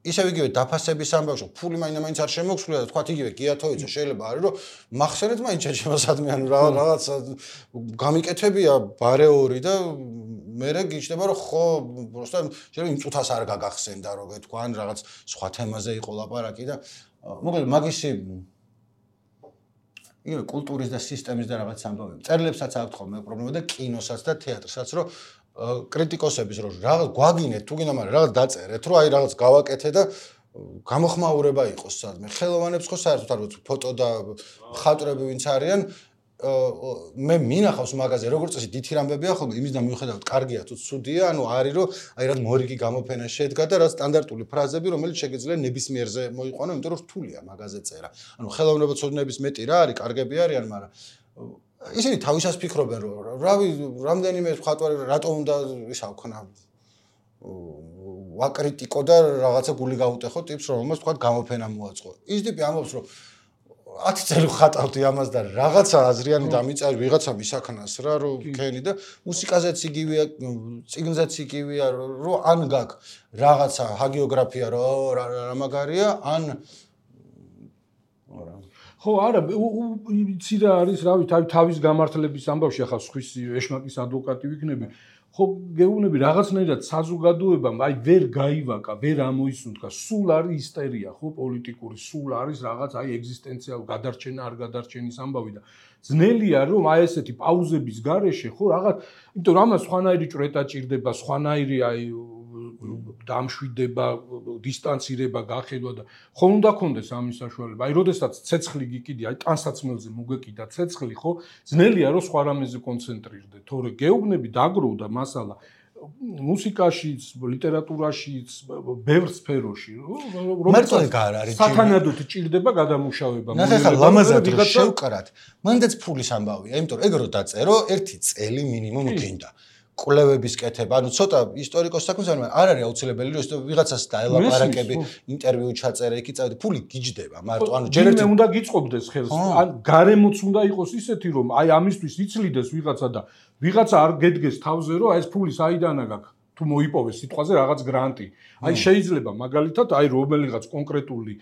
ისევ იგივე დაფასების ამბავში ფული მაინც არ შემოგვსვლია და თქვათ იგივე გიათოიძე შეიძლება არის რომ მახსენეთ მაინც ჩემოსადმე ანუ რაღაც გამიკეთებია ბარეორი და მერე გიჩნდება რომ ხო პროსტა შეიძლება იმ წუთას არ გაგახსენდა რომ თქვა ან რაღაც სხვა თემაზე იყო ლაპარაკი და მოკლედ მაგისი იგივე კულტურის და სისტემის და რაღაც ამბავები წერილებსაც აქვს ხოლმე პრობლემა და კინოსაც და თეატრსაც რომ კრიტიკოსების რომ რაღაც გვაგინეთ თუ გინდა მაგრამ რაღაც დაწერეთ რომ აი რაღაც გავაკეთე და გამოხმაურება იყოს სადმე ხელოვანებს ხო საერთოდ არ ვიცი ფოტო და მხატვრები ვინც არიან მე მინახავს მაგაზე როგორც წესი დითი რამბებია ხოლმე იმის და მიუხედავად კარგია თუ ცუდია ანუ არის რომ აი რა მორიგი გამოფენა შედგა და რა სტანდარტული ფრაზები რომელიც შეგიძლია ნებისმიერზე მოიყვანო იმიტომ რომ რთულია მაგაზე წერა ანუ ხელოვნება ცოდნების მეტი რა არის კარგები არიან მაგრამ ისინი თავისას ფიქრობენ რომ რავი რამდენიმე მხატვარი რატომ უნდა ისა ვქნა ვაკრიტიკო და რაღაცა გული გაუტეხო ტიპს რომელსაც თქვა გამოფენა მოაწყო ის ტიპი ამბობს რომ ათი წელი ვხატავდი ამას და რაღაცა აზრიანი დამიწარი ვიღაცა მისაქნას რა რომ ქენი და მუსიკაზეც იგივეა წიგნზეც იგივეა რომ ან გაკ რაღაცა ჰაგიოგრაფია რომ რა მაგარია ან ხო არა იცი რა არის რავი თავის გამართლების ამბავში ახლა სხვის ეშმაკის ადვოკატი ვიქნები ხო გეუბნები რაღაცნაირად საზოგადოებამ აი ვერ გაივაკა ვერ ამოისუნთქა სულ არის ისტერია ხო პოლიტიკური სულ არის რაღაც აი ეგზისტენციალ გადარჩენა არ გადარჩენის ამბავი და ძნელია რომ აი ესეთი პაუზების გარეშე ხო რაღაც იმიტომ რომ ამას სხვანაირი ჭრეტა ჭირდება სხვანაირი აი დამშვიდება დისტანცირება გახედვა და ხო უნდა კონდეს ამის საშუალება აი როდესაც ცეცხლი გიკიდი აი ტანსაცმელზე მოგეკიდა ცეცხლი ხო ძნელია რომ სხვა რამეზე კონცენტრირდე თორე გეუბნები დაგროვდა მასალა მუსიკაშიც ლიტერატურაშიც ბევრ სფეროში რომელიც არ არის სათანადოდ ჭირდება გადამუშავება ნახე ხა ლამაზად შევკრათ მანდაც ფულის ამბავია იმიტომ რომ ეგ რო დაწერო ერთი წელი მინიმუმ გინდა კვლევების კეთება, ანუ ცოტა ისტორიკოს საქმეს არ არ არის აუცილებელი რომ ვიღაცას დაელაპარაკები, ინტერვიუ ჩაწერე, იქ წავედი, ფული გიჯდება, მარტო ანუ ჯერ ერთი უნდა გიწყობდეს ხელს, ან გარემოც უნდა იყოს ისეთი რომ აი ამისთვის იცლიდეს ვიღაცა და ვიღაცა არ გედგეს თავზე რომ აი ეს ფული საიდანა გაქვს, თუ მოიპოვეს სიტყვაზე რაღაც გრანტი. აი შეიძლება მაგალითად აი რომელიღაც კონკრეტული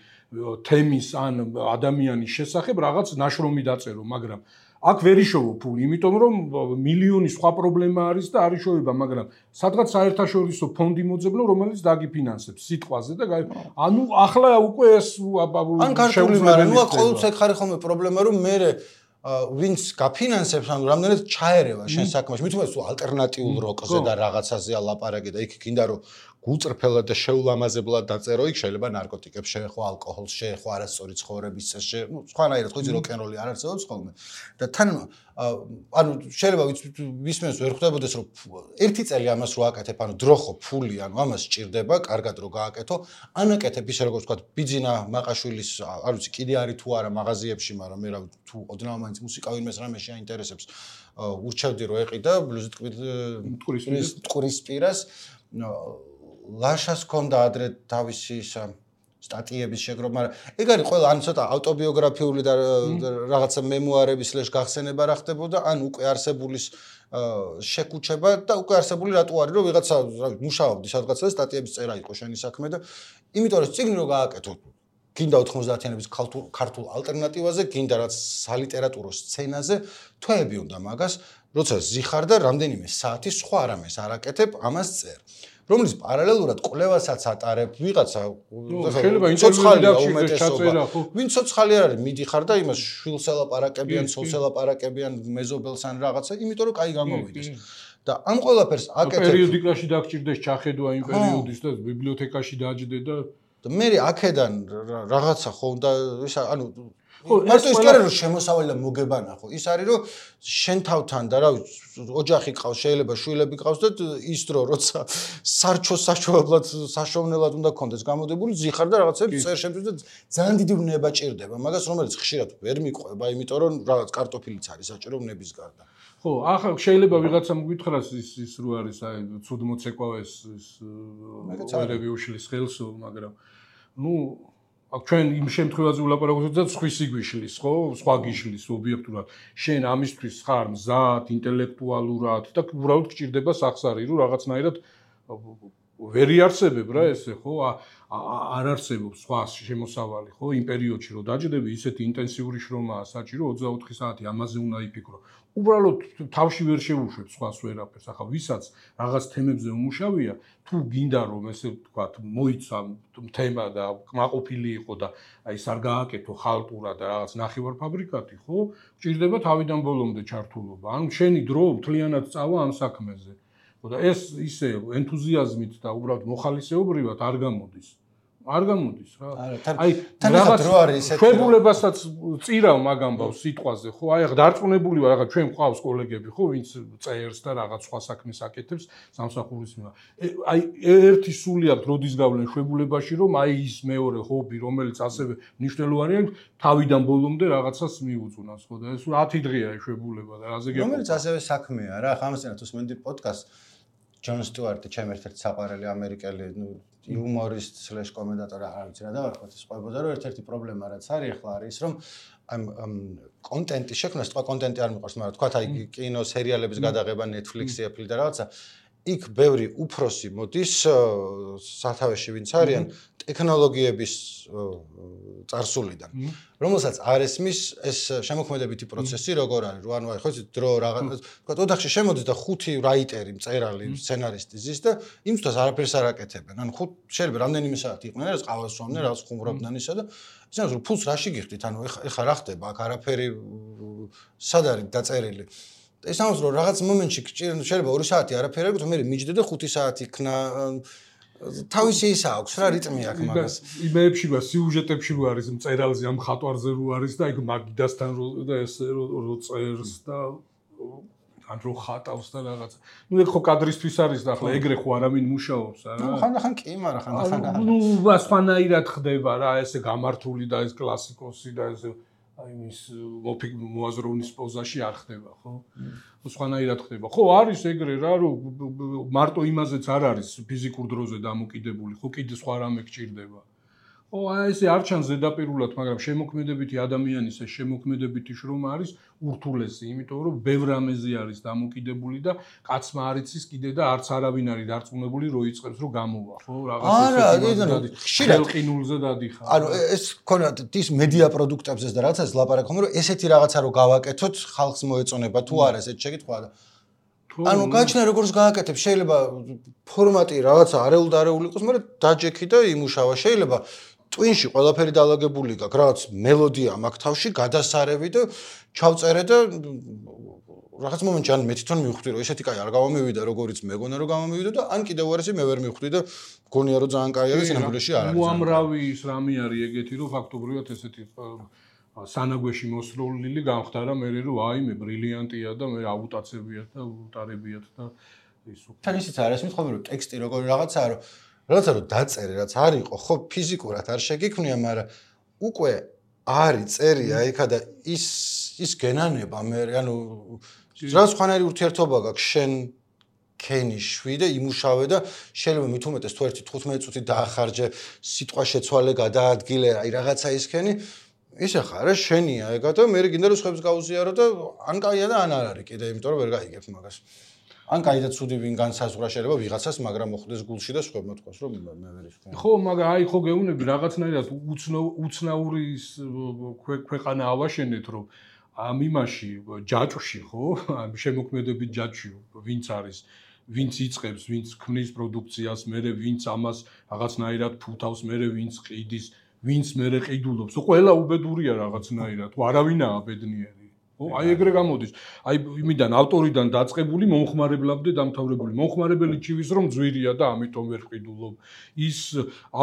თემის ან ადამიანის შესახებ რაღაც ნაშრომი დაწერო, მაგრამ აქ ვერ იშოვო ფული, იმიტომ რომ მილიონი სხვა პრობლემა არის და არ იშოვება, მაგრამ სადღაც საერთაშორისო ფონდი მოძებნო, რომელიც დაგიფინანსებს სიტყვაზე და ანუ ახლა უკვე ეს ან ქართული მაგრამ ნუ ყოველთვის ხარი ხოლმე პრობლემა რომ მე ვინც გაფინანსებს ანუ რამდენად ჩაერევა შენ საქმეში, მით უმეტეს თუ ალტერნატიულ როკზე და რაღაცაზეა ლაპარაკი და იქ გინდა რომ გულწრფელად და შეულამაზებლად დაწერო, იქ შეიძლება ნარკოტიკებს შეეხო, ალკოჰოლს შეეხო, არასწორი ცხოვრების წესს, ნუ სხვანაირად ხო იცი როკ-ენ-როლი არ არსებობს ხოლმე. და თან ანუ შეიძლება ვისმენს ვერ ხვდებოდეს რომ ერთი წელი ამას რო აკეთებ, ანუ დრო ხო, ფული, ანუ ამას სჭირდება, კარგად რო გააკეთო, ანაკეთებ ისე როგორც ვთქვათ, ბიძინა მაყაშვილის, არ ვიცი, კიდე არის თუ არა მაღაზიებში, მაგრამ მე რა თუ ოდნავ მაინც მუსიკა ვინმეს რამეში აინტერესებს, ურჩევდი რომ ეყიდა ბლუზით ტყურის ტყურის პირას ლაშას ჰქონდა ადრე თავისი ისა სტატიების შეგროვა, მაგრამ ეგ არის ყველა ან ცოტა ავტობიოგრაფიული და რაღაცა მემუარების სლეშ გახსენება რა ხდებოდა, ან უკვე არსებულის შეკუჩება და უკვე არსებული რატო არის, რომ ვიღაცა მუშაობდი სადღაცა და სტატიების წერა იყო შენი საქმე და იმიტომ რომ წიგნი რო გააკეთო გინდა ოთხმოცდაათიანების ქართულ ალტერნატივაზე, გინდა რაც სალიტერატურო სცენაზე, თვეები უნდა მაგას, როცა ზიხარ და რამდენიმე საათი სხვა არამეს არაკეთებ, ამას წერ. რომლის პარალელურად კვლევასაც ატარებ, ვიღაცა შეიძლება ინტერვიუში ჩაწერა, ხო? ვინ ცოცხალი არ არის, მიდიხარ და იმას შვილს ელაპარაკებიან, ცოლს ელაპარაკებიან, მეზობელს ან რაღაცა, იმიტომ რომ კაი გამოვიდეს. და ამ ყველაფერს აკეთებ. პერიოდიკაში დაგჭირდეს ჩახედვა იმ პერიოდის და ბიბლიოთეკაში დაჯდე და და მე აქედან რაღაცა ხო და ისა ანუ მარტო ის კი არა რომ შემოსავალი და მოგებანა ხო ის არის რომ შენ თავთან და რა ოჯახი ყავს შეიძლება შვილები ყავს და ის დრო როცა სარჩო საშუალებლად საშოვნელად უნდა გქონდეს გამოდებული ზიხარ და რაღაცებს წერ შემთხვევით და ძალიან დიდი უნება ჭირდება მაგას რომელიც ხშირად ვერ მიყვება იმიტომ რომ რაღაც კარტოფილიც არის საჭირო უნების გარდა ხო ახლა შეიძლება ვიღაცამ გითხრას ის ის რო არის აი ცუდ მოცეკვავეს ის წერები უშლის ხელს მაგრამ ну აქ ჩვენ იმ შემთხვევაზე ვლაპარაკობთ და სხვისი გვიშლის ხო სხვა გიშლის ობიექტურად შენ ამისთვის ხარ მზად ინტელექტუალურად და უბრალოდ გჭირდება სახსარი რომ რაღაცნაირად ვერ იარსებებ რა ესე ხო არ არსებობს სხვა შემოსავალი ხო იმ პერიოდში რომ დაჯდები ისეთი ინტენსიური შრომაა საჭირო ოცდაოთხი საათი ამაზე უნდა იფიქრო უბრალოდ თავში ვერ შეუშვებ სხვას ვერაფერს ახლა ვისაც რაღაც თემებზე უმუშავია თუ გინდა რომ ესე ვთქვათ მოიცა თემა და კმაყოფილი იყო და აი ეს არ გააკეთო ხალტურად და რაღაც ნახევარფაბრიკატი ხო გჭირდება თავიდან ბოლომდე ჩართულობა ანუ შენი დრო მთლიანად წავა ამ საქმეზე ხო და ეს ისე ენთუზიაზმით და უბრალოდ მოხალისეობრივად არ გამოდის არ გამოდის რა. აი რაღაც დრო არის ესეთი. შვებულებასაც წირავ მაგამბავს სიტყვაზე, ხო? აი ახლა დარწმუნებული ვარ, ახლა ჩვენ ყავს კოლეგები, ხო, ვინც წერს და რაღაც სხვა საქმეს აკეთებს სამსახურის მიერ. აი ერთი სული აქვს როდის გავლენ შვებულებაში, რომ აი ის მეორე ჰობი, რომელიც ასევე მნიშვნელოვანია, თავიდან ბოლომდე რაღაცას მიუძღვნას, ხო? და ეს ათი დღეა შვებულება და რაზე გეკითხა. რომელიც ასევე საქმეა რა, ხა ამასთანავე თუ სმენდი პოდკასტ ჯონ სტუარტი, ჩემ ერთ-ერთი საყვარელი ამერიკელი, ნუ იუმორისტ სლეშ კომენტატორი არ ვიცი რა დავარქვათ ის ყვებოდა რომ ერთ-ერთი პრობლემა რაც არის ახლა არის ის რომ ამ კონტენტის შექმნას თქვა კონტენტი არ მიყვარს მაგრამ თქვა აი კინო სერიალების გადაღება Netflix-ი, Apple და რაღაცა იქ ბევრი უფროსი მოდის სათავეში ვინც არიან ტექნოლოგიების წარსულიდან რომელსაც არ ესმის ეს შემოქმედებითი პროცესი როგორ არის რო ანუ აი ხო იცით დრო რაღაც თქვა ოთახში შემოდის და ხუთი რაიტერი მწერალი სცენარისტი ზის და იმისთვის არაფერს არ აკეთებენ ანუ ხუთ შეიძლება რამდენიმე საათი იყვნენ რა ყავას სვამდნენ რაღაც ხუმრობდნენ ისა და ისე რომ ფულს რაში გიხდით ანუ ეხა რა ხდება აქ არაფერი სად არის დაწერილი ეს ამას რომ რაღაც მომენტში შეიძლება ორი საათი არაფერი აქვს მე მიჯდე და ხუთი საათი იქნა თავისი ისა აქვს რა რიტმი აქვს მაგას იმეებში და სიუჟეტებში რო არის მწერალზე ამ ხატვარზე რო არის და იქ მაგიდასთან რო და ეს რო წერს და ან რო ხატავს და რაღაც ნუ ეგ ხო კადრისთვის არის და ახლა ეგრე ხო არავინ მუშაობს არა ნუ ხანდახან კი მაგრამ ხანდახან არა ნუ სხვანაირად ხდება რა ესე გამართული და ეს კლასიკოსი და ეს აი მის მოაზროვნის პოზაში არ ხდება ხო? სხვანაირად ხდება. ხო არის ეგრე რა რომ მარტო იმაზეც არ არის ფიზიკურ დროზე დამოკიდებული, ხო კიდე სხვა რამე გჭირდება. ხო აი ესე არ ჩანს ზედაპირულად, მაგრამ შემოქმედებითი ადამიანის ეს შემოქმედებითი შრომა არის ურთულესი, იმიტომ რომ ბევრ რამეზე არის დამოკიდებული და კაცმა არ იცის კიდე და არც არავინ არის დარწმუნებული რო იწყებს რომ გამოვა, ხო? რაღაც ესეთი ხშირად ყინულზე დადიხარ. ანუ ეს ქონათ ის მედია პროდუქტებზეც და რაღაცას ლაპარაკობ, რომ ესეთი რაღაცა რო გავაკეთოთ, ხალხს მოეწონება თუ არა ესეთ შეკითხვა და ანუ გაჩნდა როგორც გააკეთებ, შეიძლება ფორმატი რაღაცა არეულ და არეულ იყოს, მაგრამ დაჯექი და იმუშავა, შეიძლება ტვინში ყველაფერი დაალაგებული გაქვს, რაღაც მელოდია მაქვს თავში, გადასარევი და ჩავწერე და რაღაც მომენტში ან მე თვითონ მივხვდი რომ ესეთი კაი არ გამომივიდა როგორიც მეგონა რომ გამომივიდა და ან კიდევ უარესი მე ვერ მივხვდი და გონია რომ ძალიან კაი არის სინამდვილეში არ არის. უამრავი ის რამე არის ეგეთი რომ ფაქტობრივად ესეთი სანაგვეში მოსროლილი გამხდარა მე რომ აი მე ბრილიანტია და მე აუტაცებიათ და უტარებიათ და ის უკვე თან ისიც არის მithome რომ ტექსტი როგორი რაღაცაა რომ რაღაცა რომ დაწერე რაც არ იყო ხო ფიზიკურად არ შეგიქმნია მაგრამ უკვე არის წერია იქა და ის ის გენანება მე ანუ რა სხვანაირი ურთიერთობა გაქვს შენ ქენი შვიდე იმუშავე და შეიძლება მით უმეტეს თუ ერთი თხუთმეტი წუთი დაახარჯე სიტყვა შეცვალე გადაადგილე აი რაღაცა ისქენი ისე ხარ შენია ეგა და მე გინდა რომ სხვებს გაუზიარო და ან კაია და ან არ არის კიდე იმიტომ რომ ვერ გაიგებ მაგას ან კაი და ცუდი ვინ განსაზღვრა შეიძლება ვიღაცას მაგრამ მოხდეს გულში და სხვებმა თქვას რომ მე ვერ ისქენ ხო მაგრამ აი ხო გეუბნები რაღაცნაირად უცნაური ქვეყანა ავაშენეთ რომ ამ იმაში ჯაჭვში ხო ამ შემოქმედებით ჯაჭვში ვინც არის ვინც იწყებს ვინც ქმნის პროდუქციას მე ვინც ამას რაღაცნაირად ფუთავს მე ვინც ყიდის ვინც მე ყიდულობს ყველა უბედურია რაღაცნაირად თუ არავინაა ბედნიერი ხო აი ეგრე გამოდის აი იმიდან ავტორიდან დაწყებული მომხმარებლამდე დამთავრებული მომხმარებელი ჩივის რომ ძვირია და ამიტომ ვერ ყიდულობ ის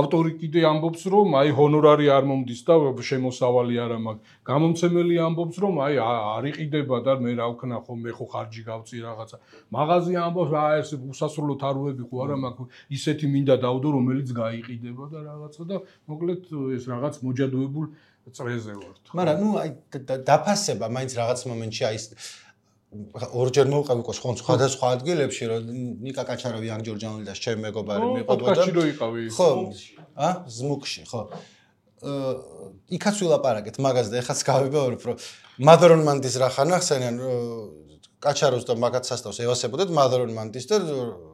ავტორი კიდე ამბობს რომ აი ჰონორარი არ მომდის და შემოსავალი არ მაქვს გამომცემელი ამბობს რომ აი არ იყიდება და მე რა ვქნა ხო მე ხო ხარჯი გავწი რაღაცა მაღაზია ამბობს რა ეს უსასრულო თაროები ხო არა მაქვს ისეთი მინდა დავდო რომელიც გაიყიდება და რაღაცა და მოკლედ ეს რაღაც მოჯადოებულ წრეზე ვარ. მაგრამ ნუ აი დაფასება მაინც რაღაც მომენტში აი ორჯერ მოვყავი ყოს ხო სხვადასხვა ადგილებში რომ ნიკა კაჩარავი ანგ ჯორჯანელი და ჩემ მეგობარი მიყვება და ხო იყავი ხო ა ზმუკში ხო იქაც ვილაპარაკეთ მაგას და ეხაც გავიბეორებ რომ მადრონ მანდის რა ხან ახსენიან კაჩაროს და მაგათ სასტავს ევასებოდეთ მადრონ მანდის და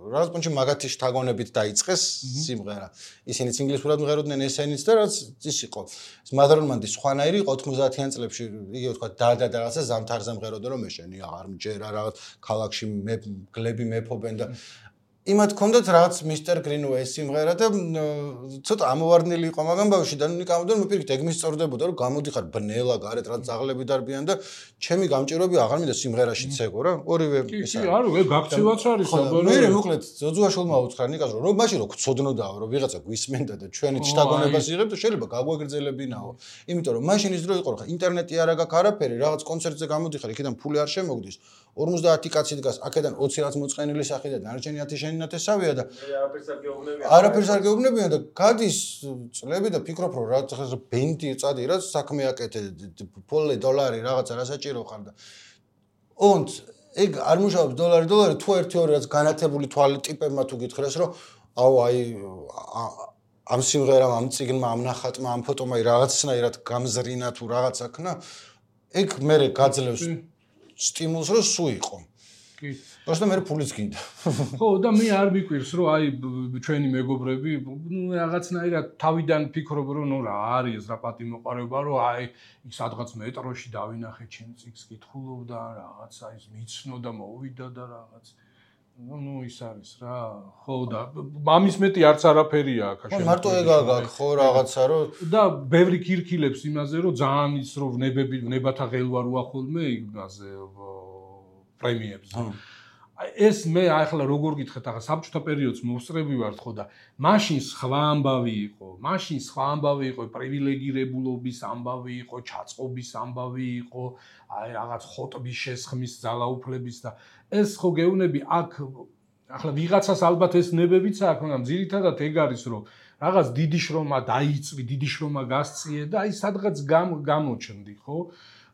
რაღაც პუნჩი მაგათი შთაგონებით დაიწყეს სიმღერა ისინიც ინგლისურად მღეროდნენ ესენიც და რაც ის იყო ეს მადრონ მანდის სხვანაირი იყო ოთხმოცდაათიან წლებში იგივე თქვა და და რაღაცა ზამთარზე მღეროდა რომ ეშენი აღარ მჯერა რაღაც ქალაქში მე გლები მეფობენ და იმათ ჰქონდათ რაღაც მისტერ გრინუეის სიმღერა და ცოტა ამოვარდნილი იყო მაგამ ბავშვი და ნიკამდე მოპირკეთ ეგ მისწორდებოდა რომ გამოდიხარ ბნელა გარეთ რაც ძაღლები დარბიან და ჩემი გამჭირვები აღარ მინდა სიმღერაშიც ეგო რა ორივე ეს არის არა ეგ გაქცევაც არის საბოლოო მე მოკლედ ზოძუაშვილმა უთხრა ნიკას რომ მაშინ რო გწოდნოდაო რომ ვიღაცა გვისმენდა და ჩვენი შთაგონებას იღებ და შეიძლება გაგვეგრძელებინაო იმიტომ რომ მაშინ ის დრო იყო რა ინტერნეტი არ აქვს არაფერი რაღაც კონცერტზე გამოდიხარ იქიდან ფული არ შემოგდის ორმოცდაათი კაცი დგას აქედან ოცი რაც მოწყენილი სახი და დანარჩენი ათი შენი ნათესავია და არაფერს არ გეუბნებიან არაფერს არ გეუბნებიან და გადის წლები და ფიქრობ რომ რა ბენდი წადი რა საქმე აკეთე ფოლე დოლარი რაღაცა რა საჭირო ხარ და ონც ეგ არ მუშაობს დოლარი დოლარი თუ ერთი ორი რაც განათებული თვალი ტიპებმა თუ გითხრეს რომ აუ აი ამ სიმღერამ ამ წიგნმა ამ ნახატმა ამ ფოტომა რაღაცნაირად გამზრინა თუ რაღაცა ქნა ეგ მე გაძლევს სტიმულს რომ სუ იყო კი просто მე ფულიც გინდა ხო და მე არ მიკვირს რომ აი ჩვენი მეგობრები ნუ რაღაცნაირად თავიდან ფიქრობ რომ ნუ რა არის რა პატიმოყარეობა რომ აი სადღაც მეტროში დავინახე ჩემ წიგს კითხულობ და რაღაცა ის მიცნო და მოვიდა და რაღაც ნუ ნუ ის არის რა ხო და მამის მეტი არც არაფერია აქ ხო მარტო ეგ აქვს ხო რაღაცა რომ და ბევრი ქირქილებს იმაზე რომ ძალიან ის რომ ნებები ნებათა ღელვა როა ხოლმე იმაზე პრემიებზე ეს მე ახლა როგორ გითხეთ ახლა საბჭოთა პერიოდს მოსწრები ვართ ხო და მაშინ სხვა ამბავი იყო მაშინ სხვა ამბავი იყო პრივილეგირებულობის ამბავი იყო ჩაწყობის ამბავი იყო აი რაღაც ხოტბის შესხმის ძალაუფლების და ეს ხო გეუნები აქ ახლა ვიღაცას ალბათ ეს ნებებიც აქვს მაგრამ ძირითადად ეგ არის რომ რაღაც დიდი შრომა დაიწვი დიდი შრომა გასწიე და აი სადღაც გამოჩნდი ხო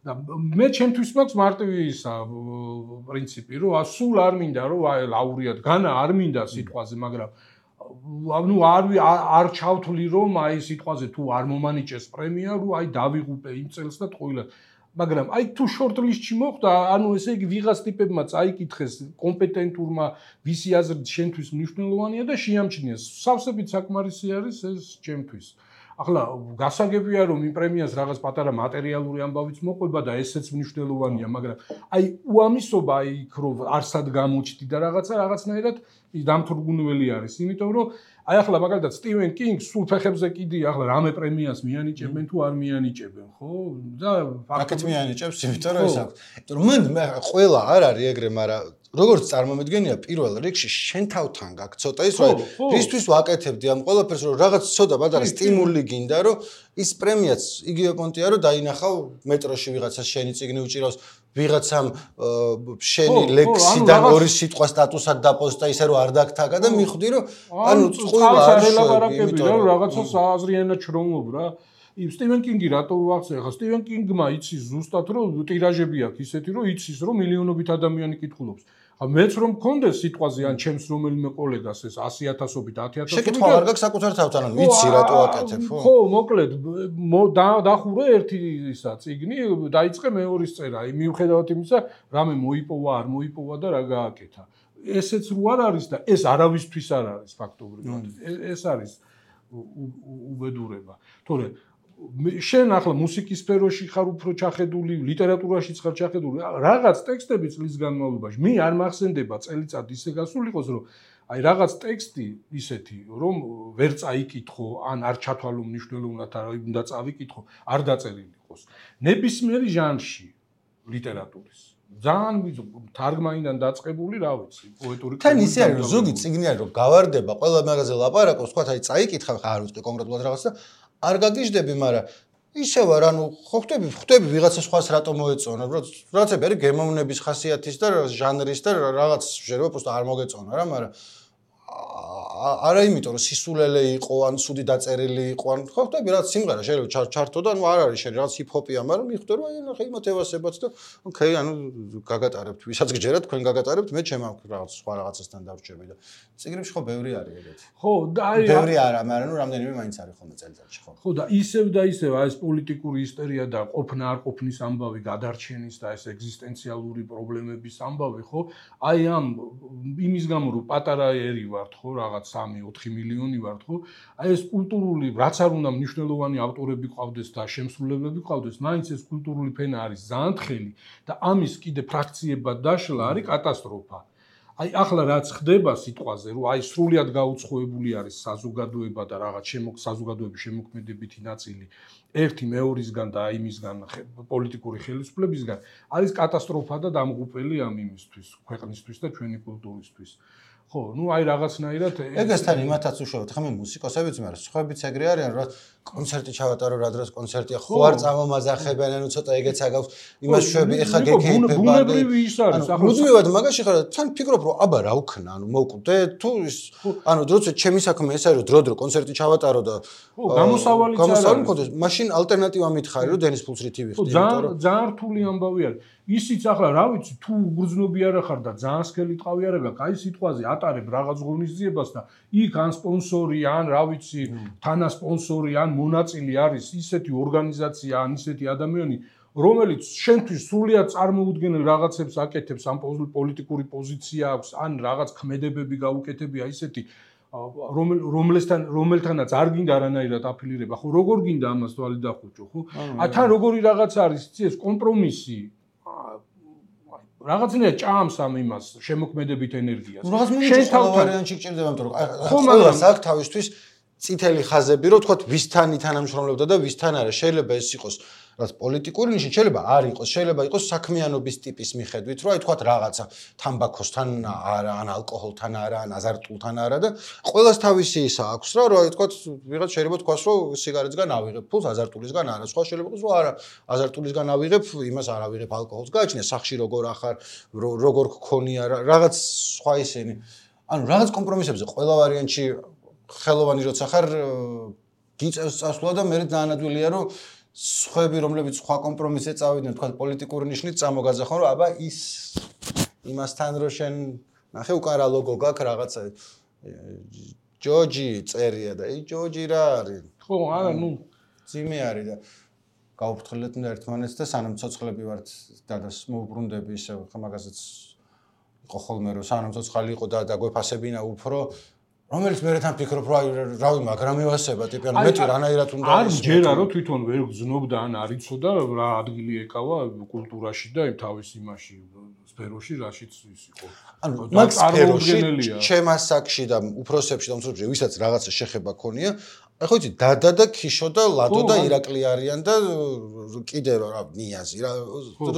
და მე ჩემთვის მაქვს მარტივი ისა პრინციპი რომ სულ არ მინდა რომ აი ლაურიატ განა არ მინდა სიტყვაზე მაგრამ ნუ არ არ ჩავთვლი რომ აი სიტყვაზე თუ არ მომანიჭეს პრემია რომ აი დავიღუპე იმ წელს და ტყუილად მაგრამ აი თუ შორტ-ლისტში მოხდა ანუ ესე იგი ვიღაც ტიპებმა წაიკითხეს კომპეტენტურმა ვისი აზრით შენთვის მნიშვნელოვანია და შეამჩნიეს სავსებით საკმარისი არის ეს ჩემთვის ახლა გასაგებია რომ იმ პრემიას რაღაც პატარა მატერიალური ამბავიც მოყვება და ესეც მნიშვნელოვანია მაგრამ აი უამისობა აი იქ რომ არსად გამოჩდი და რაღაცა რაღაცნაირად დამთვრგუნველი არის იმიტომ რომ აი ახლა მაგალითად სტივენ კინგს სულ ფეხებზე კიდია ახლა რამე პრემიას მიანიჭებენ თუ არ მიანიჭებენ ხო და ფაქტობრივად მიანიჭებს იმიტომ რომ ეს აქვს იმიტომ რომ მან ყველა არ არის ეგრე მაგრამ როგორც წარმომედგენია პირველ რიგში შენ თავთან გაქვს ცოტა ის რომ რისთვის ვაკეთებდი ამ ყველაფერს რომ რაღაც ცოტა პატარა სტიმული გინდა რომ ის პრემიაც იგივე პონტია რომ დაინახავ მეტროში ვიღაცას შენი წიგნი უჭირავს ვიღაცამ შენი ლექსიდან ორი სიტყვა სტატუსად დაპოსტა ისე რომ არ დაგთაგა და მიხვდი რომ ანუ წყვილ არ შეგებდი რა რაღაცას აზრიანად ჩრომობ რა იმ სტივენ კინგი რატო ვახსენე ხა სტივენ კინგმა იცის ზუსტად რომ ტირაჟები აქვს ისეთი რომ იცის რომ მილიონობით ადამიანი კითხულობს მეც რომ მქონდეს სიტყვაზე ან ჩემს რომელიმე კოლეგას ეს ასი ათასობით ათი ათასობით შეკითხვა არ გაქვს საკუთარ თავთან ან ვიცი რატო აკეთებ ხო? ხო, მოკლედ დახურე ერთი ისა წიგნი, დაიწყე მეორის წერა. მიუხედავად იმისა, რამე მოიპოვა, არ მოიპოვა და რა გააკეთა. ესეც რო არ არის და ეს არავისთვის არ არის ფაქტობრივად. ეს არის უბედურება. თორე შენ ახლა მუსიკის სფეროში ხარ უფრო ჩახედული, ლიტერატურაშიც ხარ ჩახედული, რაღაც ტექსტები წლის განმავლობაში მე არ მახსენდება წელიწად ისე გასულიყოს, რომ აი რაღაც ტექსტი ისეთი, რომ ვერ წაიკითხო, ან არ ჩათვალო მნიშვნელოვნად, არ უნდა წავიკითხო, არ დაწერილი იყოს. ნებისმიერი ჟანრში ლიტერატურის ძალიან თარგმანიდან დაწყებული, რა ვიცი, პოეტური თან ისე არის, რომ ზოგი წიგნი არის, რომ გავარდება, ყველა მაგაზე ლაპარაკობს, თქვა, აი წაიკითხა, არ ვუწყი კონკრეტულად რაღაც და არ გაგიჟდები, მაგრამ ისე ვარ, ანუ ხო ხვდები, ხვდები ვიღაცა სხვას რატო მოეწონა, რაღაცები არის გემოვნების ხასიათის და ჟანრის და რაღაც შეიძლება просто არ მოგეწონა რა, მაგრამ არა იმიტომ რომ სისულელე იყო ან სუდი დაწერილი იყო ან ხო ხვდები რაღაც სიმღერა შეიძლება ჩართო და ანუ არ არის შენ რაღაც ჰიპ-ჰოპია, მაგრამ მიხვდე რომ აი ნახე იმათ ევასებაც და ოკეი, ანუ გაგატარებთ, ვისაც გჯერათ, თქვენ გაგატარებთ, მე ჩემ აქ რაღაც სხვა რაღაცასთან დავრჩები და წიგნებში ხო ბევრი არის ეგეთი. ხო, და აი ბევრი არა, მაგრამ ნუ რამდენიმე მაინც არის ხოლმე წელიწადში ხო. ხო და ისევ და ისევ აი ეს პოლიტიკური ისტერია და ყოფნა არ ყოფნის ამბავი, გადარჩენის და ეს ეგზისტენციალური პრობლემების ამბავი, ხო? აი ამ იმის გამო რომ პატარა ერი ვართ, ხო, რაღაც სამი ოთხი მილიონი ვართ, ხო? აი ეს კულტურული, რაც არ უნდა მნიშვნელოვანი ავტორები ყავდეს და შემსრულებლები ყავდეს, მაინც ეს კულტურული ფენა არის ძალიან თხელი და ამის კიდე ფრაქციებად დაშლა არის კატასტროფა. აი ახლა რაც ხდება სიტყვაზე, რომ აი სრულად გაუცხოებული არის საზოგადოება და რაღაც შემოგ საზოგადოების შემოქმედებითი ნაწილი ერთი მეორისგან და აიმისგან პოლიტიკური ხელისუფლებისგან არის კატასტროფა და დამღუპელი ამ იმისთვის, ქვეყნისთვის და ჩვენი კულტურისთვის. ხო, ну აი რაღაცნაირად ეგესთან იმათაც უშუალოდ ხა მე მუსიკოსებიც მაგრამ სხვაებიც ეგრე არიან რომ კონცერტი ჩავატარო რა დროს კონცერტია ხო არ წამომაზახებენ ანუ ცოტა ეგეც აგავს იმას შვები ეხა გეკეიფება ბუნებრივი ის არის ახლა მუდმივად მაგაში ხარ თან ფიქრობ რომ აბა რა ვქნა ანუ მოვკვდე თუ ანუ დროც ჩემი საქმე ეს არის რომ დრო დრო კონცერტი ჩავატარო და ხო გამოსავალიც გამოსავალი მქონდეს მაშინ ალტერნატივა მითხარი რომ დენის ფულს რითი ვიხდი იმიტომ რომ ძალიან რთული ამბავი არის ისიც ახლა რა ვიცი თუ უგრძნობი არა ხარ და ძალიან სქელი ტყავი არა გაქვს აი სიტყვაზე ატარებ რაღაც ღონისძიებას და იქ ან სპონსორი ან რა ვიცი თანა სპონსორი ან მონაწილე არის ისეთი ორგანიზაცია ან ისეთი ადამიანი რომელიც შენთვის სრულიად წარმოუდგენელ რაღაცებს აკეთებს ამ პოლიტიკური პოზიცია აქვს ან რაღაც ქმედებები გაუკეთებია ისეთი რომელთან რომელთანაც არ გინდა არანაირად აფილირება ხო როგორ გინდა ამას თვალი დახუჭო ხო ა თან როგორი რაღაც არის იცი ეს კომპრომისი რაღაცნაირად ჭამს ამ იმას შემოქმედებით ენერგიას. შენ თავ ვარიანტში გჭირდება იმიტომ რომ ყველას აქვს თავისთვის წითელი ხაზები რომ თქვა ვისთან ითანამშრომლებდა და ვისთან არა შეიძლება ეს იყოს რაც პოლიტიკური ნიშანი შეიძლება არ იყოს შეიძლება იყოს საქმიანობის ტიპის მიხედვით რომ აი თქვა რაღაცა თამბაქოსთან არა ან ალკოჰოლთან არა ან აზარტულთან არა და ყველას თავისი ისა აქვს რა რომ აი თქვა ვიღაც შეიძლება თქვას რომ სიგარეტისგან ავიღებ ფულს აზარტულისგან არა სხვა შეიძლება იყოს რომ არა აზარტულისგან ავიღებ იმას არ ავიღებ ალკოჰოლს გააჩნია სახში როგორ ახარ როგორ გქონია რაღაც სხვა ისინი ანუ რაღაც კომპრომისებზე ყველა ვარიანტში ხელოვანი როცა ხარ გიწევს წასვლა და მე დაანადვილია რომ სხვები რომლებიც სხვა კომპრომისზე წავიდნენ თქვა პოლიტიკური ნიშნით წამოგაძახონ რომ აბა ის იმასთან რო შენ ნახე უკან რა ლოგო გაქვს რაღაცა ჯოჯი წერია და ი ჯოჯი რა არის ხო არა ნუ ძიმე არის და გავუფრთხილეთ უნდა ერთმანეთს და სანამ ცოცხლები ვართ დადას მოუბრუნდები ისე ხა მაგასაც იყო ხოლმე რომ სანამ ცოცხალი იყო და და გვეფასებინა უფრო რომელიც მე თან ფიქრობ რა რავი მაგრამ ევასება ტიპი ანუ მეტი რანაირად უნდა არ ჯერა რომ თვითონ ვერ გზნობდა ან არ იცოდა რა ადგილი ეკავა კულტურაში და იმ თავის იმაში სფეროში რაშიც ის იყო ანუ მაგ სფეროში ჩემ ასაკში და უფროსებში და უმცროსებში ვისაც რაღაცა შეხება ქონია ხო იცი დადა და ქიშო და ლადო და ირაკლი არიან და კიდე რა ნიაზი რა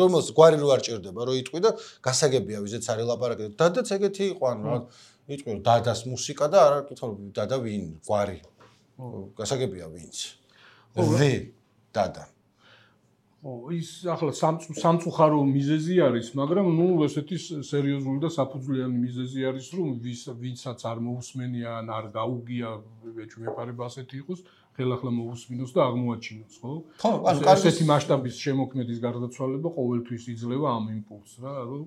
რომელს გვარი რო არ ჭირდება რო იტყვი და გასაგებია ვიზეც არის ლაპარაკი დადაც ეგეთი იყო ანუ რა იტყვი რომ დადას მუსიკა და არ კითხავ დადა ვინ გვარი გასაგებია ვინც ვე დადა ო ის ახლა სამწუხარო მიზეზი არის მაგრამ ნუ ესეთი სერიოზული და საფუძვლიანი მიზეზი არის რომ ვის ვინცაც არ მოусმენია ან არ გაუგია ეჭვმეპარება ასეთი იყოს ხელახლა მოусმინოს და აღმოაჩინოს ხო ხო ანუ ესეთი მასშტაბის შემოქმედის გარდაცვალება ყოველთვის იძლევა ამ იმპულსს რა რომ